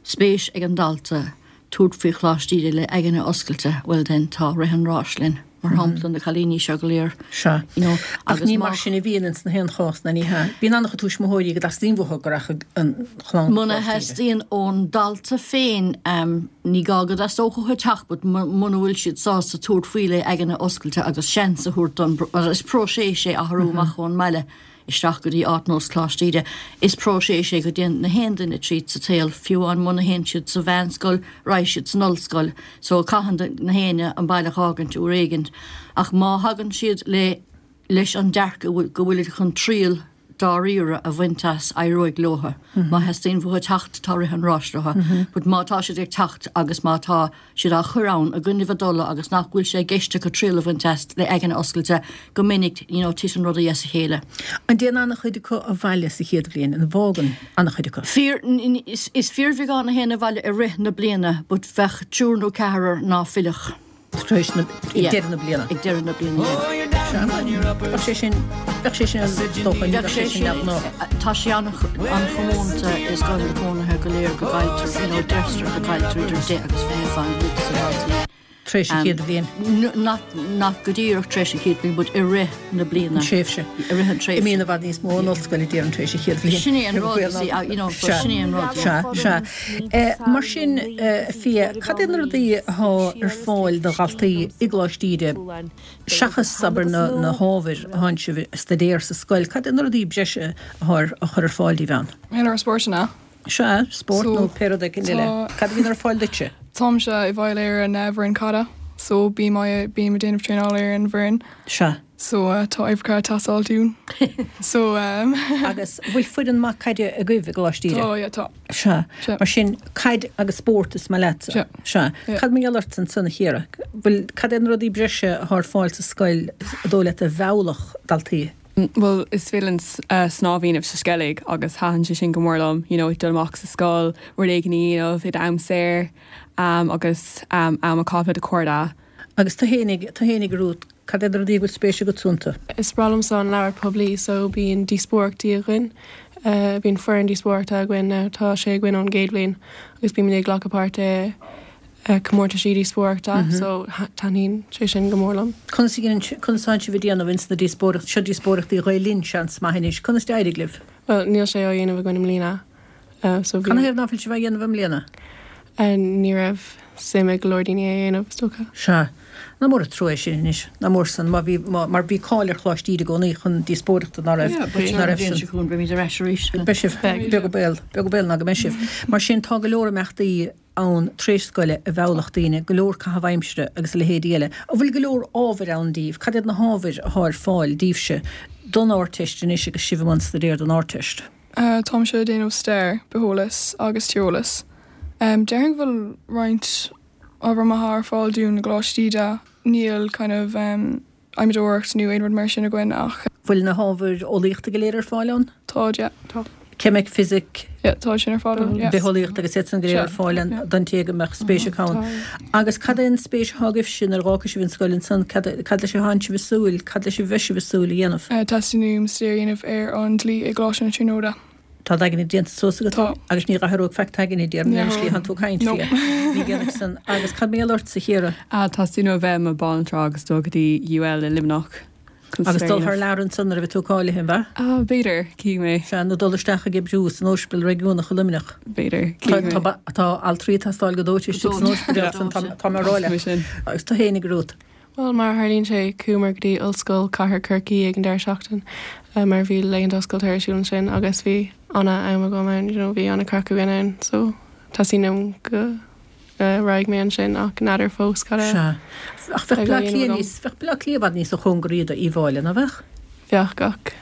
spéis ag an dalta tabhairt faoi Choláiste Íde le aigne oscailte well then tá rith an ráis linn mar shampla na cailíní seo go léir. Sea. You know, Ach agus ní má mar sin a bhíonn ins na haon chás na ní hea. Bíonn an-chuid tuismitheoirí go dteastaíonn uathu go rachadh an chlann go Muna Coláiste Íde. theastaíonn ón dalta féin um, ní gá go dteastódh uathu teacht, but muna bhfuil siad sásta tabhairt faoi le aigne oscailte agus seans a thabhairt don is próiseas é athrú amach ón mbaile isteach go dtí áit nós Coláiste Íde. Is próiseas é go dtéann na haon duine tríd sa tsaol fiú amháin muna théann siad sa mheánscoil, raghaidh siad san ollscoil, so caitheann na héinne an baile a fhágaint uair éigin. Ach má thagann siad le leis an dearcadh go bhfuil go bhfuil chun triail dáiríre a bhaint as éireoidh leo. Má theastaíonn uathu teacht tá rith an ráis leo, But má tá siad ag teacht agus má tá siad á chur ann i gcoinnibh a dtola agus nach bhfuil sé i gceist acu triail a bhaint as le aigne oscailte go minic you know, titeann rudaí as a chéile. An dtéann an-chuid acu abhaile sa chéad bhliain an bhfágann an-chuid acu. Fíor is, is fíorbheagán a théann abhaile i rith na bliana, but bheadh triúr nó ceathrar ná fillfeadh. Tar éis na ag deireadh na bliana. Ag deireadh na bliana. Bheadh sé sin bheadh sé sin dócha ní bheadh sé sin neamhghnách. Tá sé an-chomónta i scoileanna cónaithe go léir go gcailltear you know, deirtear go gcailltear idir deich agus fiche faoin gcéad de dhaltaí. Tar éis an chéad bhliain. Nach nach go díreach tar éis an chéad bhliain, but i rith na bliana. An tréimhse. I rith an tréimhse. Imíonn i bhfad níos mó an ollscoil a déarfainn tar éis an chéad bhliain. Sin é an rud, you see, uh, you know, so sin é an rud, Sea, sea. Eh, Mar sin eh, Fia, cad é na rudaí atá ar fáil do dhaltaí i gColáiste Íde seachas abair na, na hábhair a théann sibh a staidéar sa scoil, cad é na rudaí breise atá ar a chur ar fáil daoibh ann? Mé ar spórtanna. Sea, spórt So, nó pé rud éigin eile. tá- Cad a bhíonn ar fáil duitse? Táimse i bhfeighil ar an uh, bhfoireann caide, so bím bím ag déanamh traenáil ar an bhfoireann. Sea. So uh, tá uimhreacha ag teastáil dúinn. So um, Agus bhfuil foireann maith caide agaibh i gColáiste Íde? Tá, yeah, tá. Sea. Sea. Mar sin caid agus spórt is maith leatsa. Sea. Sea. Yeah. Cad mar gheall ort ansan a Chiara? Bhfuil cad é na rudaí breise atá ar fáil sa scoil a dóigh leat a mheallfadh daltaí? Well is féidir uh, snámh a dhéanamh sa Sceilg agus thaitin sé sin go mór liom, you know, dul amach sa scoil, rud éigin a dhéanamh i am saor um, agus um, am a chaitheamh le do chairde. Agus tú fhéinig tú fhéinig Ruth, cad é na rudaí bhfuil spéis agat iontu? Is breá liomsa an leabhar poiblí so bíonn díospóireachtaí againn. Uh, bíonn foireann díospóireachta againn uh, tá sé againn ón gcéad bhliain agus bíonn ag glacadh páirt i uh, comórtaisí díospóireachta mm -hmm. so taitníonn sé sin go mór liom. Conas conas atá sibh ag déanamh ins na díospóireacht seo díospóireachtaí Ghael-Linn seans maith anois, conas d'éirigh libh? Well níl sé á dhéanamh againn i mbliana. Uh, so Cad ina thaobh ná fuil sibh á dhéanamh i mbliana? Uh, ní raibh suim ag go leor daoine é a dhéanamh is dócha. Sea. Nach mór an trua sin anois nach mór san má bhí mar bhí cáil ar Choláiste Íde i gcónaí chun díospóireachta ná raibh ná raibh san. Chun beimid ar ais arís. Beidh sibh beag béal beag béal ná go mbeidh sibh. Mar sin tá go leor imeachtaí ann tar éis scoile a mheallfadh daoine, go leor caitheamh aimsire agus a leithéidí eile. An bhfuil go leor ábhair ann daoibh, cad iad na hábhair atá ar fáil daoibhse don Ardteist anois agus sibh i mbun staidéir don Ardteist. Uh, Táimse ag déanamh stair, bitheolas agus tíreolas. Um, Déarfainn go bhfuil roinnt ábhar maith ar fáil dúinn i gColáiste Íde níl kind of um, adhmadóireacht nó aon rud mar sin againn ach Bhfuil na hábhair eolaíochta go léir ar fáil ann? Tá yeah, tá. Ceimic, fisic. Yeah, tá sin ar fáil. Bitheolaíocht agus iad san go léir ar fáil don té go mbeadh spéis acu ann. Agus cad é an spéis atá agaibhse nuair a dh'fhágfaidh sibh an scoil ansan? Cad cad leis a thánn sibh ag súil? Cad leis a bheidh sibh ag súil a dhéanamh? Teastaíonn uaim staidéar a dhéanamh ar an dlí i gColáiste na Tríonóide. Tá d'aigne déanta suas agat? Tá. Agus ní dh'athróidh faic t'aigne, déarfainn, ar an slí a thánn tú ag caint No. fé. Ní dhéanfaidh san. Agus cad mar gheall ortsa, a Chiara? Teastaíonn uaim a bheith i mo bhanaltra agus dul go dtí UL i Luimneach. Agus dul thar lear ansan nuair a bheidh tú cáilithe, an ea? Ah, b'fhéidir, cífidh mé. Sea, nó dul isteach ag oibriú san Ospidéal Réigiúnach i Luimneach. B'fhéidir, cífidh mé. Tá altraí ag teastáil go dóite istigh san ospidéal san, tá mé ag rá leat. Agus tú fhéinig, a Ruth? Bhuel, mar a tharlaíonn sé, chuamar go dtí Ollscoil Chathair Chorcaí ag an deireadh seachtain mar bhí laethanta oscailte ar siúl ansin agus bhí ana-am agam ann, you know, bhí ana-craic againn ann, so teastaíonn uaim go raghaidh mé ansin ach n'fheadar fós cad a Sea. Ach bheadh bheidh á Bleá dhéanamh Cliath agam. níos, bheadh Bleá Cliath i bhfad níosa chóngaraí do Uíbh Fhailí, ná bheadh? Bheadh ach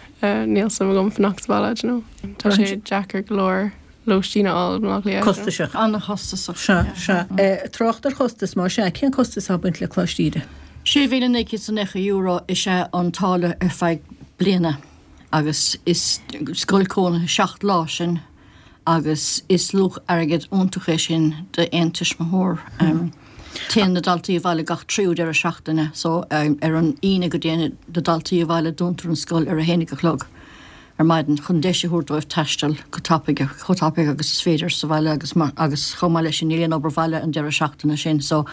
níl suim agam fanacht sa bhaile, do you know. Tá sé deacair go leor lóistín a fháil i mBleá Cliath. Costasach. An-chostasach. Sea, sea. Trácht ar chostas, más ea, cén costas atá ag baint le Coláiste Íde? Sé mhíle naoi gcéad is naocha euro is ea an táille ar feadh bliana agus is scoil cónaithe seacht lá sin agus is luach airgid iontach é sin d'aon tuismitheoir. Téann na daltaí abhaile gach tríú deireadh seachtaine so ar an Aoine go dtéann na daltaí abhaile dúntar an scoil ar a haon a chlog ar maidin chun deis a thabhairt dóibh taisteal go tapaidh, chomh tapaidh agus is féidir sa bhaile agus agus chomh maith leis sin níl aon obair bhaile an deireadh seachtaine sin so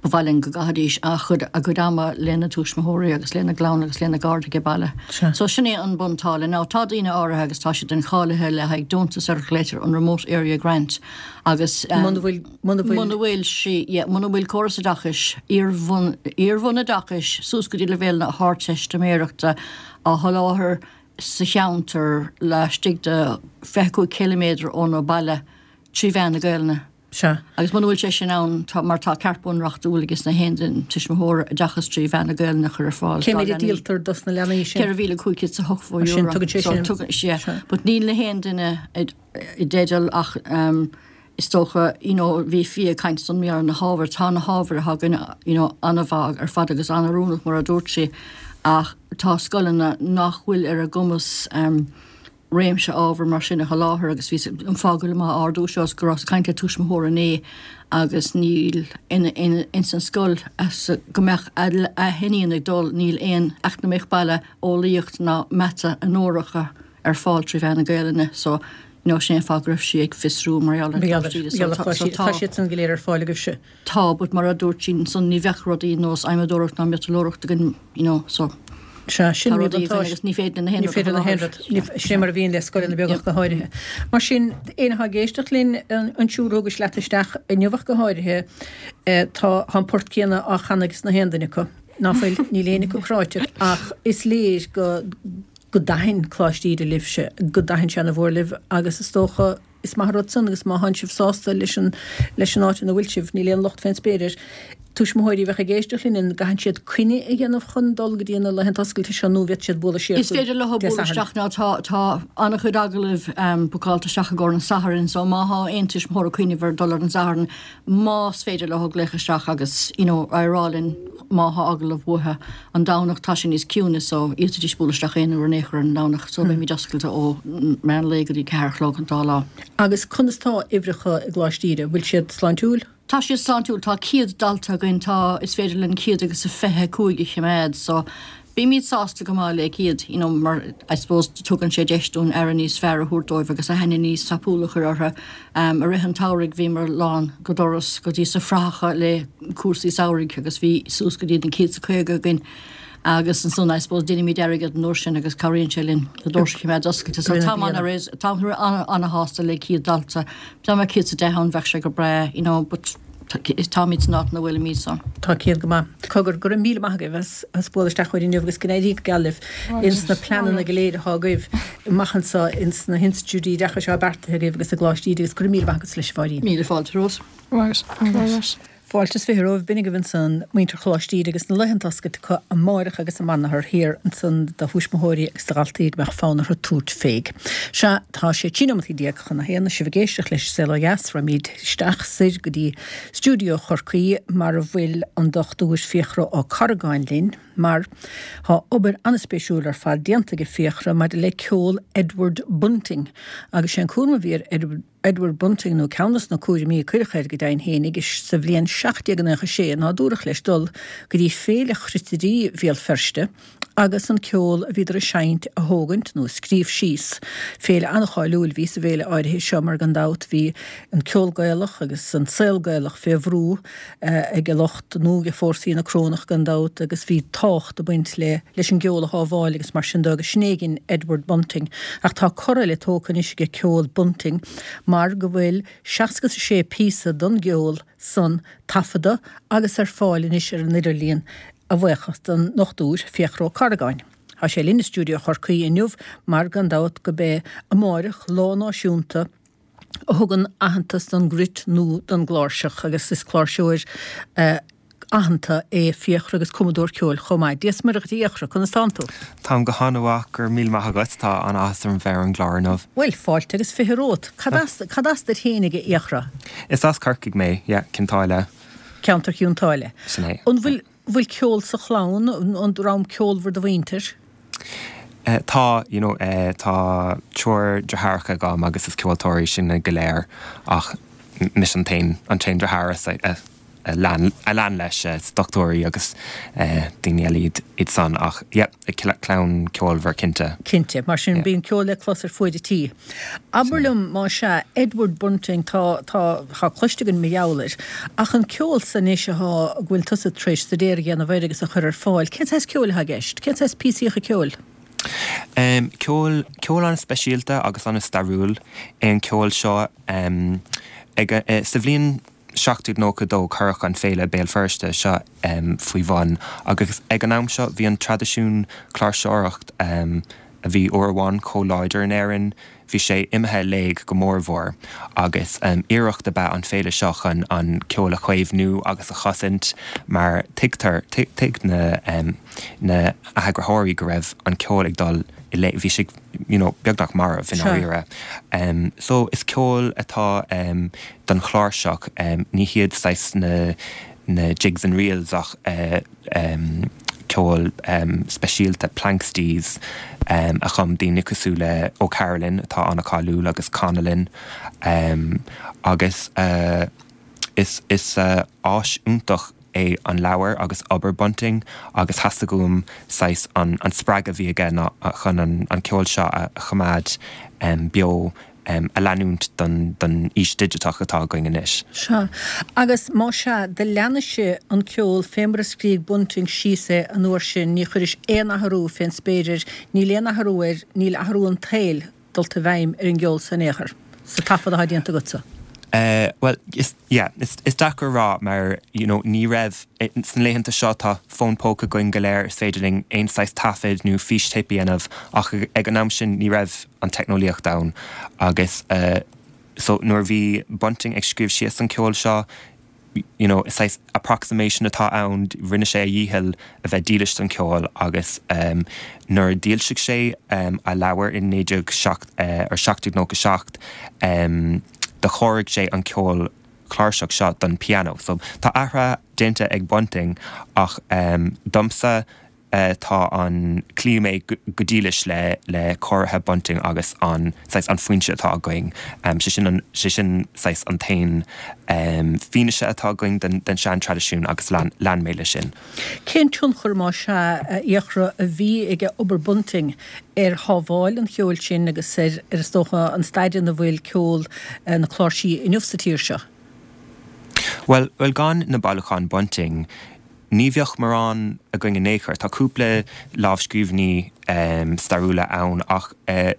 ba mhaith linn go gcaithfidís a chuid a gcuid ama lena dtuismitheoirí agus lena gclann agus lena gcairde ag baile. So sin é an buntáille. Now tá daoine áirithe agus tá siad incháilithe le haghaidh deontas ar a ghlaotar an Remote Area Grant agus Muna bhfuil muna bhfuil muna bhfuil sí yeah, muna bhfuil córas oideachais iarbhun iarbhunoideachais suas go dtí leibhéal na hArdteistiméireachta á sholáthar sa cheantar laistigh de fiche cúig ciliméadar óna baile trí mheán na Gaelainne. Sea. Agus muna bhfuil sé sin ann, tá, mar tá ceart bunreachtúil aige na haon duine tuismitheoir oideachas trí mheán na Gaelainne a chur ar fáil Cé dá méid a leanaí. díoltar dos na leanaí sin? Ceithre mhíle cúig chéad is a hochtó Mar sin, euro. tugann sé So sin. tugann, sea. Sea. But níl na haon duine i i dteideal ach um, is dócha, you know, bhí Fia ag caint san ar na hábhair, tá na hábhair atá againn, you know, an-mhaith ar fad agus an-oiriúnach mar a dúirt sí, ach tá scoileanna nach bhfuil ar a gcumas um, réimse ábhar mar sin a sholáthar agus bhí an fáth go bhfuil mé á ardú seo is go rabhas ag caint le tuismitheoir inné agus níl in, in, ins an scoil as go mbeadh a, a hiníon ag dul níl aon eacnamaíocht baile eolaíocht ná mata onóracha ar fáil trí mheán na Gaelainne so you know, sin é an fáth go raibh sí ag fiosrú mar gheall ar Coláiste Íde. So tá- so Tá tá- siad san go léir ar fáil agaibhse. Tá, but mar a dúirt sí ansan ní bheadh rudaí nós adhmadóireacht ná miotalóireacht againn, you know, so Sea, sin tá mír rudaí buntáiste. againn agus ní féidir na haon Ní rud a féidir na haon sholáthar. rud. Ní- Sin mar a bhíonn le scoileanna beaga go háirithe. Mar sin, éinne atá ag éisteacht linn an an triúr a thugais leat isteach inniu ach go háirithe, eh, tá an port céanna á chanadh ag na haon duine acu. Ná fuil, níl éinne acu cráite, ach is léir go go dtaithin Coláiste Íde libhse, go dtaithin sé ana-mhór libh agus is dócha is maith an rud san agus má thánn sibh sásta leis an leis an áit ina bhfuil sibh, níl aon locht fén spéir air. Tuismitheoirí a bheadh ag éisteacht linn an gcaithfidh siad coinne a dhéanamh chun dul go dtí na laethanta oscailte seo nó bhféadfadh siad bualadh siar Is féidir leo Dé bualadh Sathairn. isteach now tá tá an-chuid agallamh um, bookáilte isteach i gcomhair an Sathairn so má thá aon tuismitheoir ag cuimhneamh ar dul ar an Satharn más féidir leo glaoch isteach agus you know, a rá linn má thá agallamh uathu an Domhnach tá sé níos ciúine so d'fhéadfaidís bualadh isteach aon uair in aon chor ar an Domhnach so beimid oscailte ó meán lae go dtí ceathair a chlog an dá lá. Agus conas tá uimhreacha i gColáiste Íde, bhfuil siad sláintiúil? Tá siad sláintiúil, tá céad dalta againn, tá is féidir linn céad agus a fiche cúig a choimeád, so bímid sásta go maith le céad, you know, mar I suppose tugann sé deis dúinn aire níos fearr a thabhairt dóibh agus aithne níos tapúla a chur orthu. Um, i rith an tsamhraidh bhíomar lán go doras go dtí sna frathacha le cúrsaí samhraidh agus bhí suas go dtí an céad is a caoga againn. Agus ansan I suppose déanaimid airgead an uair sin agus cabhraíonn sé linn na doirse a choimeád oscailte. So Rinne tá bliana. an tá ana-shásta le céad dalta. Dá mbeadh céad is a deich ann bheadh sé go breá, you know, but táimid san áit ina bhfuilimid so. Tá céad go maith. Cogar go raibh míle maith agaibh as as bualadh isteach chugainn inniu agus go n-éirí go geal libh ins na pleananna go léir atá agaibh amach anseo ins na hinstitiúidí oideachais atá beartaithe agaibh agus i gColáiste Íde agus go raibh míle maith agat leis a Mháirín. Míle fáilte romhat. Right. Fáilte is fiche romhaibh, b'in agaibh ansan muintir Choláiste Íde agus na laethanta oscailte acu amáireach agus amanathar thiar ansan do thuismitheoirí agus do dhaltaí go mbeadh fonn orthu tabhairt féig. Sea, tá sé trí nóimeataí déag chun a haon, sibh ag éisteacht leis Saol Ó Dheas, raghaimid isteach soir go dtí stiúideo Chorcaí mar a bhfuil an Dochtúir Fiachra Ó Carragáin linn mar tá obair an-spéisiúil ar fad déanta ag Fiachra maidir le ceol Edward Bunting agus sé an cúram a bhí ar Edward Edward Bunting nó ceann de na cúraimí a cuireadh air go deimhin fhéinig sa bhliain seacht déag nócha sé ná dúradh leis dul go dtí Féile Chruitirí Bhéal Feirste agus an ceol a bhíodar a seinnt a thógaint nó a scríobh síos. Féile an-cháiliúil a bhí sa bhféile áirithe seo mar gan dabht bhí an ceol Gaelach agus an saol Gaelach fé bhrú ag lucht nó ag fórsaí na Corónach gan dabht agus bhí tábhacht ag baint le leis an gceol a shábháil agus mar sin de agus sin é a dhein Edward Bunting. Ach tá cor eile tógtha anois ag ceol Bunting mar go bhfuil seasca is a sé píosa don gceol san taifeadta agus ar fáil anois ar an idirlíon a bhuíochas don nDochtúir Fiachra Ó Carragáin. Tá sé linn i stiúideo Chorcaí inniu mar gan dabht go b'é amáireach lá náisiúnta a thugann aitheantas don gcruit nó don gcláirseach agus is cláirseoir aitheanta é Fiachra agus cumadóir ceoil chomh maith. Dia is Muire dhuit a Fhiachra, conas tánn tú? Táim go han-mhaith, go raibh míle maith agat, tá an-áthas orm bheith ar an gclár inniu. Bhuel, fáilte agus fiche romhat. Cad as, cad as duit fhéinig a Fhiachra? Is as Corcaigh mé, yeah, Cionn tSáile. Ceantar Chionn tSáile. Sin é. An bhfuil, bhfuil ceol sa chlann, an dream ceolmhar do mhuintir? Tá, you know, tá triúr deartháireacha agam agus is ceoltóirí sinne go léir ach mise an t-aon, an t-aon deartháir a, a lean, a lean leis, is dochtúirí agus daoine eile iad, iad san ach yeah, clann ceolmhar cinnte. Cinnte, mar sin bíonn ceol le clos ar fuaid an tí. Abair liom, más ea, Edward Bunting, tá, tá, tá cloiste againn mar gheall air, ach an ceol san anois athá, go bhfuil tusa tar éis staidéar a dhéanamh air agus a chur ar fáil, cén saghas ceoil athá i gceist? Cén saghas píosaíocha ceoil? Em, ceol, ceol an-speisialta agus an-stairiúil é an ceol seo. Em, ag, eh, sa bhliain seacht déag nócha dó cuireadh an Féile Béal Feirste seo faoi bhun agus ag an am seo bhí an traidisiún cláirseoireacht a bhí uair amháin chomh láidir in Éirinn, bhí sé imithe i léig go mórmhór agus iarracht ab ea an féile seo chun an ceol a chaomhnú agus a chosaint mar tuigtear, thuig na na heagraitheoirí go raibh an ceol ag dul i léig, bhí sé you know beagnach marbh i ndáiríre. So is ceol atá don chláirseach, ní hiad saghas na na jigs and reels ach ceol speisialta, planxties, a chum daoine cosúil le O'Carolan atá an-cháiliúil agus Connellan agus is is áis iontach é an leabhar agus obair Bunting agus theastaigh uaim saghas an an spreagadh a bhí aige ná chun an an ceol seo a choimeád beo a leanúint don don aois digiteach atá againn anois. Sea. Agus más ea, do leanais-se an ceol fé mar a scrígh Bunting síos é an uair sin, ní chuiris aon athrú fén spéir air, níl aon athrú air, níl athrú an tsaoil dulta i bhfeidhm ar an gceol san in aon chor, sa taifead atá déanta agatsa. Bhuel, is, yeah, is, is deacair a rá mar, you know, ní raibh, sna laethanta seo tá fón póca againn go léir, is féidir linn aon saghas taifead nó fístéip a dhéanamh ach ag an am sin ní raibh an teicneolaíocht ann agus so nuair a bhí Bunting ag scríobh síos an ceol seo, you know, is saghas approximation atá ann, rinne sé a dhícheall a bheith dílis don cheol agus nuair a d'fhoilsigh sé a leabhar in naoi déag seacht or seacht déag nócha seacht do chóirigh sé an ceol cláirseach seo don pianó. So tá athruithe déanta ag Bunting ach domsa, tá an, cloífidh mé go dílis le le cóirithe Bunting agus an saghas an foinse atá againn. Sé sin an, sé sin saghas an t-aon fianaise atá againn den den sean-traidisiún agus lean lean mé leis sin. Cén tionchar, más ea, a Fhiachra, a bhí ag obair Bunting ar shábháil an cheoil sin agus ar, ar is dócha, an staid ina bhfuil ceol na cláirsí inniu sa tír seo? Bhuel, bhuel gan na bailiúcháin Bunting, Ní bheadh mórán againn in aon chor. Tá cúpla lámhscríbhinní stairiúla ann ach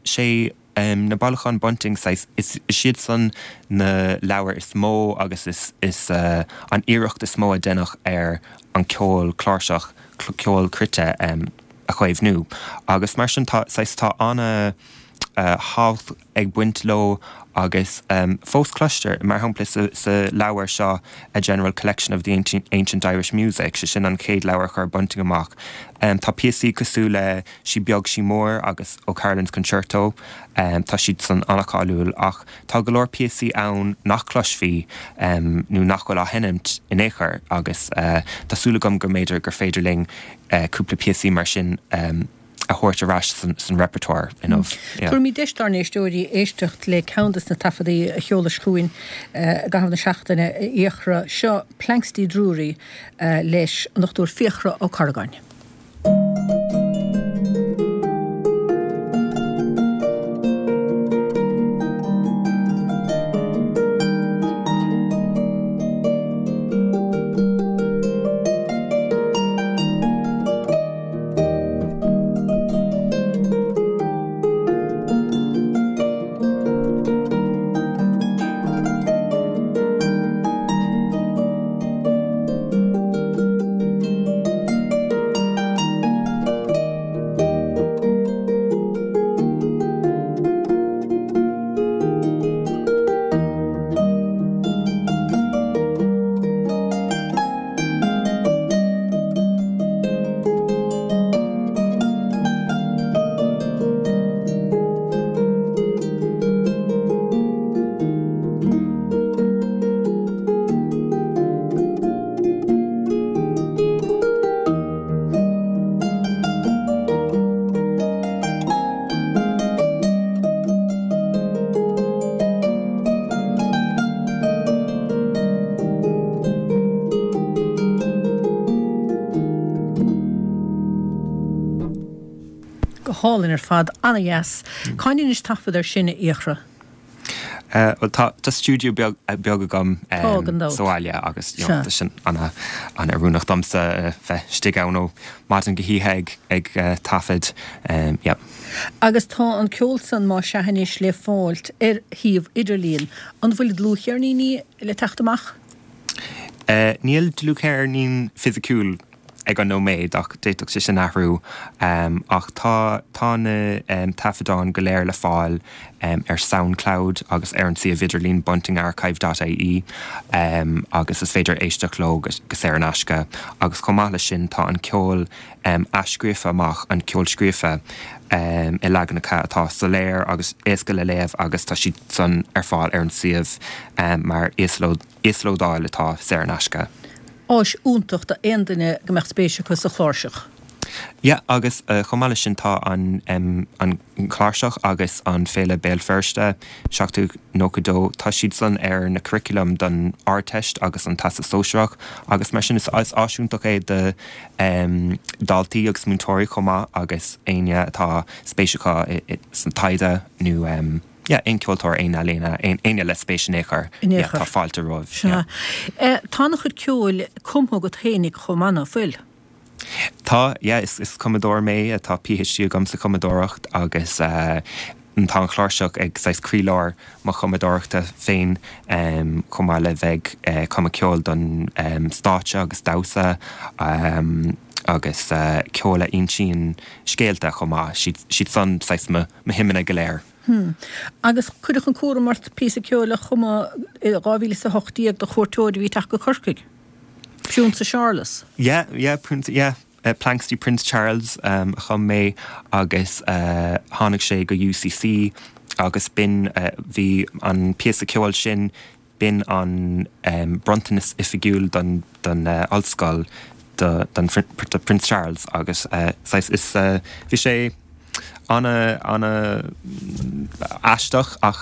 sé na bailiúcháin Bunting saghas, is iad san na leabhair is mó agus is is an iarracht is mó a deineadh ar an ceol cláirseach, ceol cruite a chaomhnú. Agus mar sin tá saghas tá ana thábhacht ag baint leo agus fós cloistear, mar shampla sa leabhar seo A General Collection of the Ancient Irish Music, sé sin an chéad leabhar a chuir Bunting amach, tá píosaí cosúil le Sí Beag Sí Mór agus O'Carolan's Concerto, tá siad san an-cháiliúil ach tá go leor píosaí ann nach gcloisfí nó nach bhfuil á sheinmt in aon chor agus tá súil agam go mb'fhéidir gur féidir linn cúpla píosaí mar sin a thabhairt ar ais san repertoire inniu. Tabharfaimid deis dár n-éisteoirí éisteacht le ceann de na taifeadaí a sheolais chugainn i gcaitheamh na seachtaine, a Fhiachra. Seo Planxty Drury leis an Dochtúir Fiachra Ó Corragáin. Go hálainn ar fad, ana-dheas. Cá ndeinis taifead air sin, a Fhiachra? Bhuel tá tá stiúideo beag beag agam Tá, gan dabht. sa bhaile agus you Sea. know tá sin ana ana-oiriúnach domsa bheith istigh ann ó maidin go hoíche ag ag taifead yeah. Agus tá an ceol san más ea anois le fáilt ar shuíomh idirlín. An bhfuil dlúthcheirníní le teacht amach? Níl dlúthcheirnín fisiciúil ag an nóiméad ach d'fhéadfadh sé sin athrú. Ach tá tá na taifeadáin go léir le fáil ar Soundcloud agus ar an suíomh idirlín buntingarchive dot ie agus is féidir éisteacht leo go saor in aisce. Agus chomh maith leis sin tá an ceol athscríofa amach, an ceol scríofa i leaganacha atá soiléir agus éasca le léamh agus tá siad san ar fáil ar an suíomh mar íoslódáil atá saor in aisce. Áis iontach do aon duine go mbeadh spéis acu sa chláirseach. Yeah, agus chomh maith leis sin tá an an chláirseach agus an Féile Béal Feirste, seachtó nócha dó, tá siad san ar na curriculum don Ardteist agus an Teastas Sóisearach agus mar sin is áis iontach é do daltaí agus múinteoirí chomh maith agus éinne atá spéis acu san taighde nó yeah, aon ceoltóir, aon ealaíona, éinne le spéis in aon chor, In aon yeah, chor. tá fáilte romhaibh. Sea. Yeah. Tá an-chuid ceoil cumtha agat fhéinig chomh maith, ná fuil? Tá, yeah, is is cumadóir mé, tá PhD agam sa chumadóireacht agus tá an chláirseach ag saghas croílár mo chumadóireachta féin chomh maith le bheith ag cumadh ceoil don stáitse agus damhsa agus ceol a insíonn scéalta chomh maith, siad siad san saghas mo mo shuimeanna go léir. Hmm. Agus cuireadh an cúram ort píosa ceoil a chumadh i dhá mhíle is a hocht déag do chuairteoir a bhí ag teacht go Corcaigh. Prionsa Seárlas. Yeah, yeah, Prince, yeah. Uh, Planxty Prince Charles um, a chum mé agus uh, tháinig sé go UCC agus b'in uh, bhí an píosa ceoil sin b'in an um, bronntanas oifigiúil don, don uh, ollscoil do, don, do Prince Charles agus uh, saghas is uh, bhí sé ana ana aisteach ach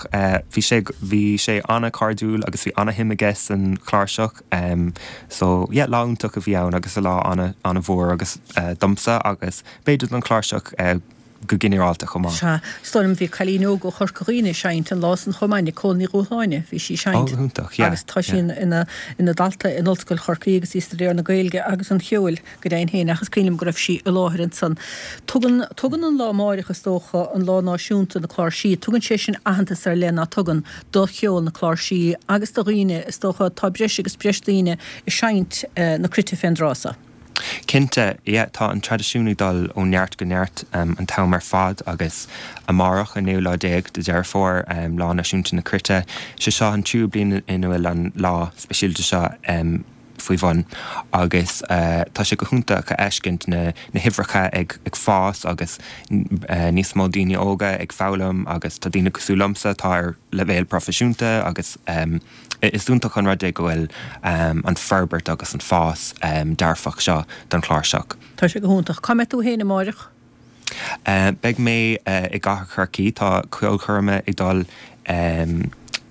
bhí sé bhí sé ana cairdiúil agus bhí ana shuim aige san chláirseach so yeah lá iontach a bhí ann agus lá ana ana mhór agus domsa agus b'fhéidir don chláirseach go ginearálta chomh maith. Sea, is dóigh liom bhí cailín óg ó Chorca Dhuibhne ag seinnt an lá san chomh maith, Nicole Ní Dhúshláine, bhí sí ag seinnt. Ó, iontach, yeah. Agus tá sí ina ina dalta in Ollscoil Chorcaí agus í ag staidéar na Gaeilge agus an cheoil. Go deimhin féin, ach is cuimhin liom go raibh sí i láthair ansan. Tugann, tugann an lá amáireach, is dócha, an Lá Náisiúnta na Cláirsí, tugann sé sin aitheantas ar leith, ná tugann, do cheol na cláirsí agus do dhaoine, is dócha, tá breis agus breis daoine ag seinnt na cruite fén dtráth so. Cinnte, yeah, tá an traidisiún ag dul ó neart go neart um, an t-am ar fad agus amárach an naoú lá déag de Dheireadh Fómhair um, lá náisiúnta na cruite, sé seo an tríú bliain ina bhfuil an lá speisialta seo um, faoi bhun agus uh, tá sé go hiontach a fheiscint na, na huimhreacha ag, ag fás agus uh, níos mó daoine óga ag foghlaim agus tá daoine cosúil liomsa atá ar leibhéal proifisiúnta agus um, is iontach an rud é go bhfuil um, an forbairt agus an fás um, dearfach seo don chláirseach. Tá sé go hiontach. Cá mbeidh tú féin amárach? Uh, beidh mé uh, i gCathair Chorcaí tá ceolchoirme ag dul um,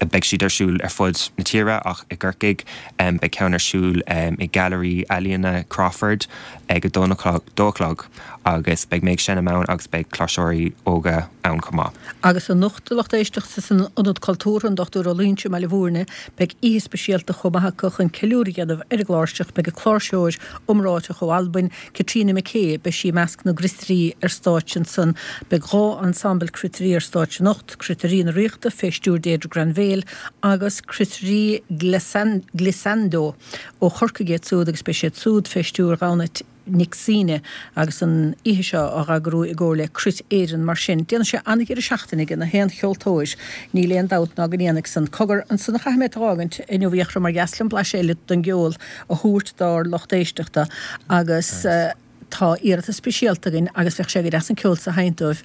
beidh siad ar siúl ar fud na tíre ach i gCorcaigh um, beidh ceann ar siúl um, i Gallery Ealaíona Crawford ag a dó a chlog agus beidh mé ag seinm ann agus beidh cláirseoirí óga ann chomh maith. Agus anocht a lucht éisteachta san Ionad Cultúrtha an Dochtúir Ó Loingsigh i mBaile Bhúirne, beidh oíche speisialta chomh maith acu chun ceiliúradh a dhéanamh ar an gcláirseach, beidh an cláirseoir iomráiteach ó Albain, Catriona McKay, beidh sí i measc na gcruitirí ar stáitse ansan. Beidh dhá ensemble cruitirí ar stáitse anocht, Cruitirí na Ríochta fé stiúir Deirdre Granville agus Cruitirí Glissando ó Chorcaigh iad súd agus beidh siad súd fé stiúir Ghobnait Nic Suibhne agus an oíche seo á eagrú i gcomhar le Cruit Éireann mar sin. Déanfaidh sé an-dheireadh seachtaine ag na haon cheoltóir, níl aon dabht ná go ndéanfaidh san. Cogar, ansan a chaithfidh mé tú a fhágaint inniu a Fhiachra mar dheas liom blaiseadh eile den gceol a thabhairt dár lucht éisteachta agus tá iarratas speisialta againn agus bheadh sé go deas an ceol so a sheinnt dóibh.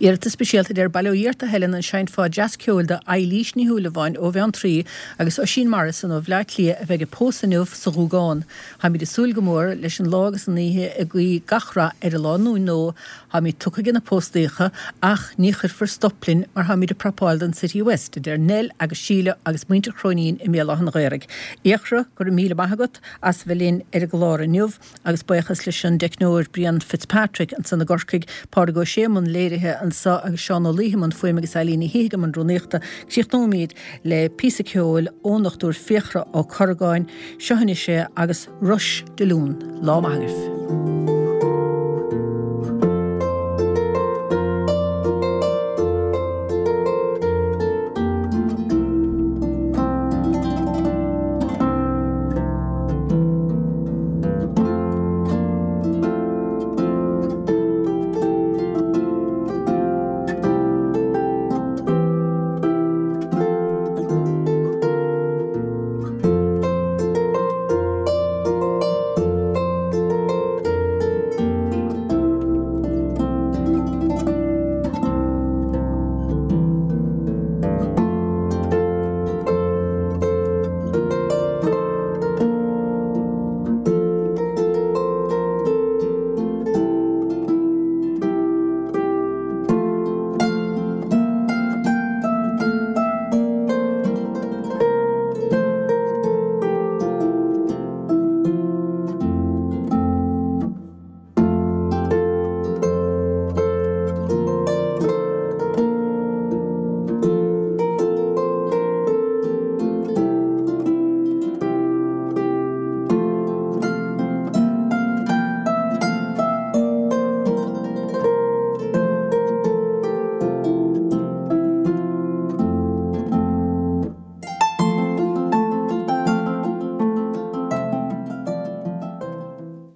Iarratas speisialta deir Bail ó Dhia ort a Helen an seinnfeá dreas ceoil do Eilís Ní Shúilleabháin ó Bheanntraí agus Oisín Morrison ó Bhleá Cliath a bheidh ag pósadh inniu sa Ghúgán. Táimid ag súil go mór leis an lá agus an oíche ag guí gach rath ar an lánúin nua. Táimid tugtha ag na póstaíocha ach ní chuirfear stop linn mar táimid ag prapáil don City West, a deir Nell agus Síle agus muintir Chróinín i mBéal Átha an Ghaorthaidh. Fhiachra, go raibh míle maith agat as bheith linn ar an gclár inniu agus buíochas leis an dteicneoir Brian Fitzpatrick ansan i gCorcaigh, Pádraig Ó Sé i mbun léirithe anso agus Seán Ó Laoithe i mbun fuaime agus Eileen Ní Shíthigh i mbun rúnaíochta. Críochnóimid le píosa ceoil ón Dochtúir Fiachra Ó Corragáin. Seo anois é agus Rush de Lún. Lá maith agaibh.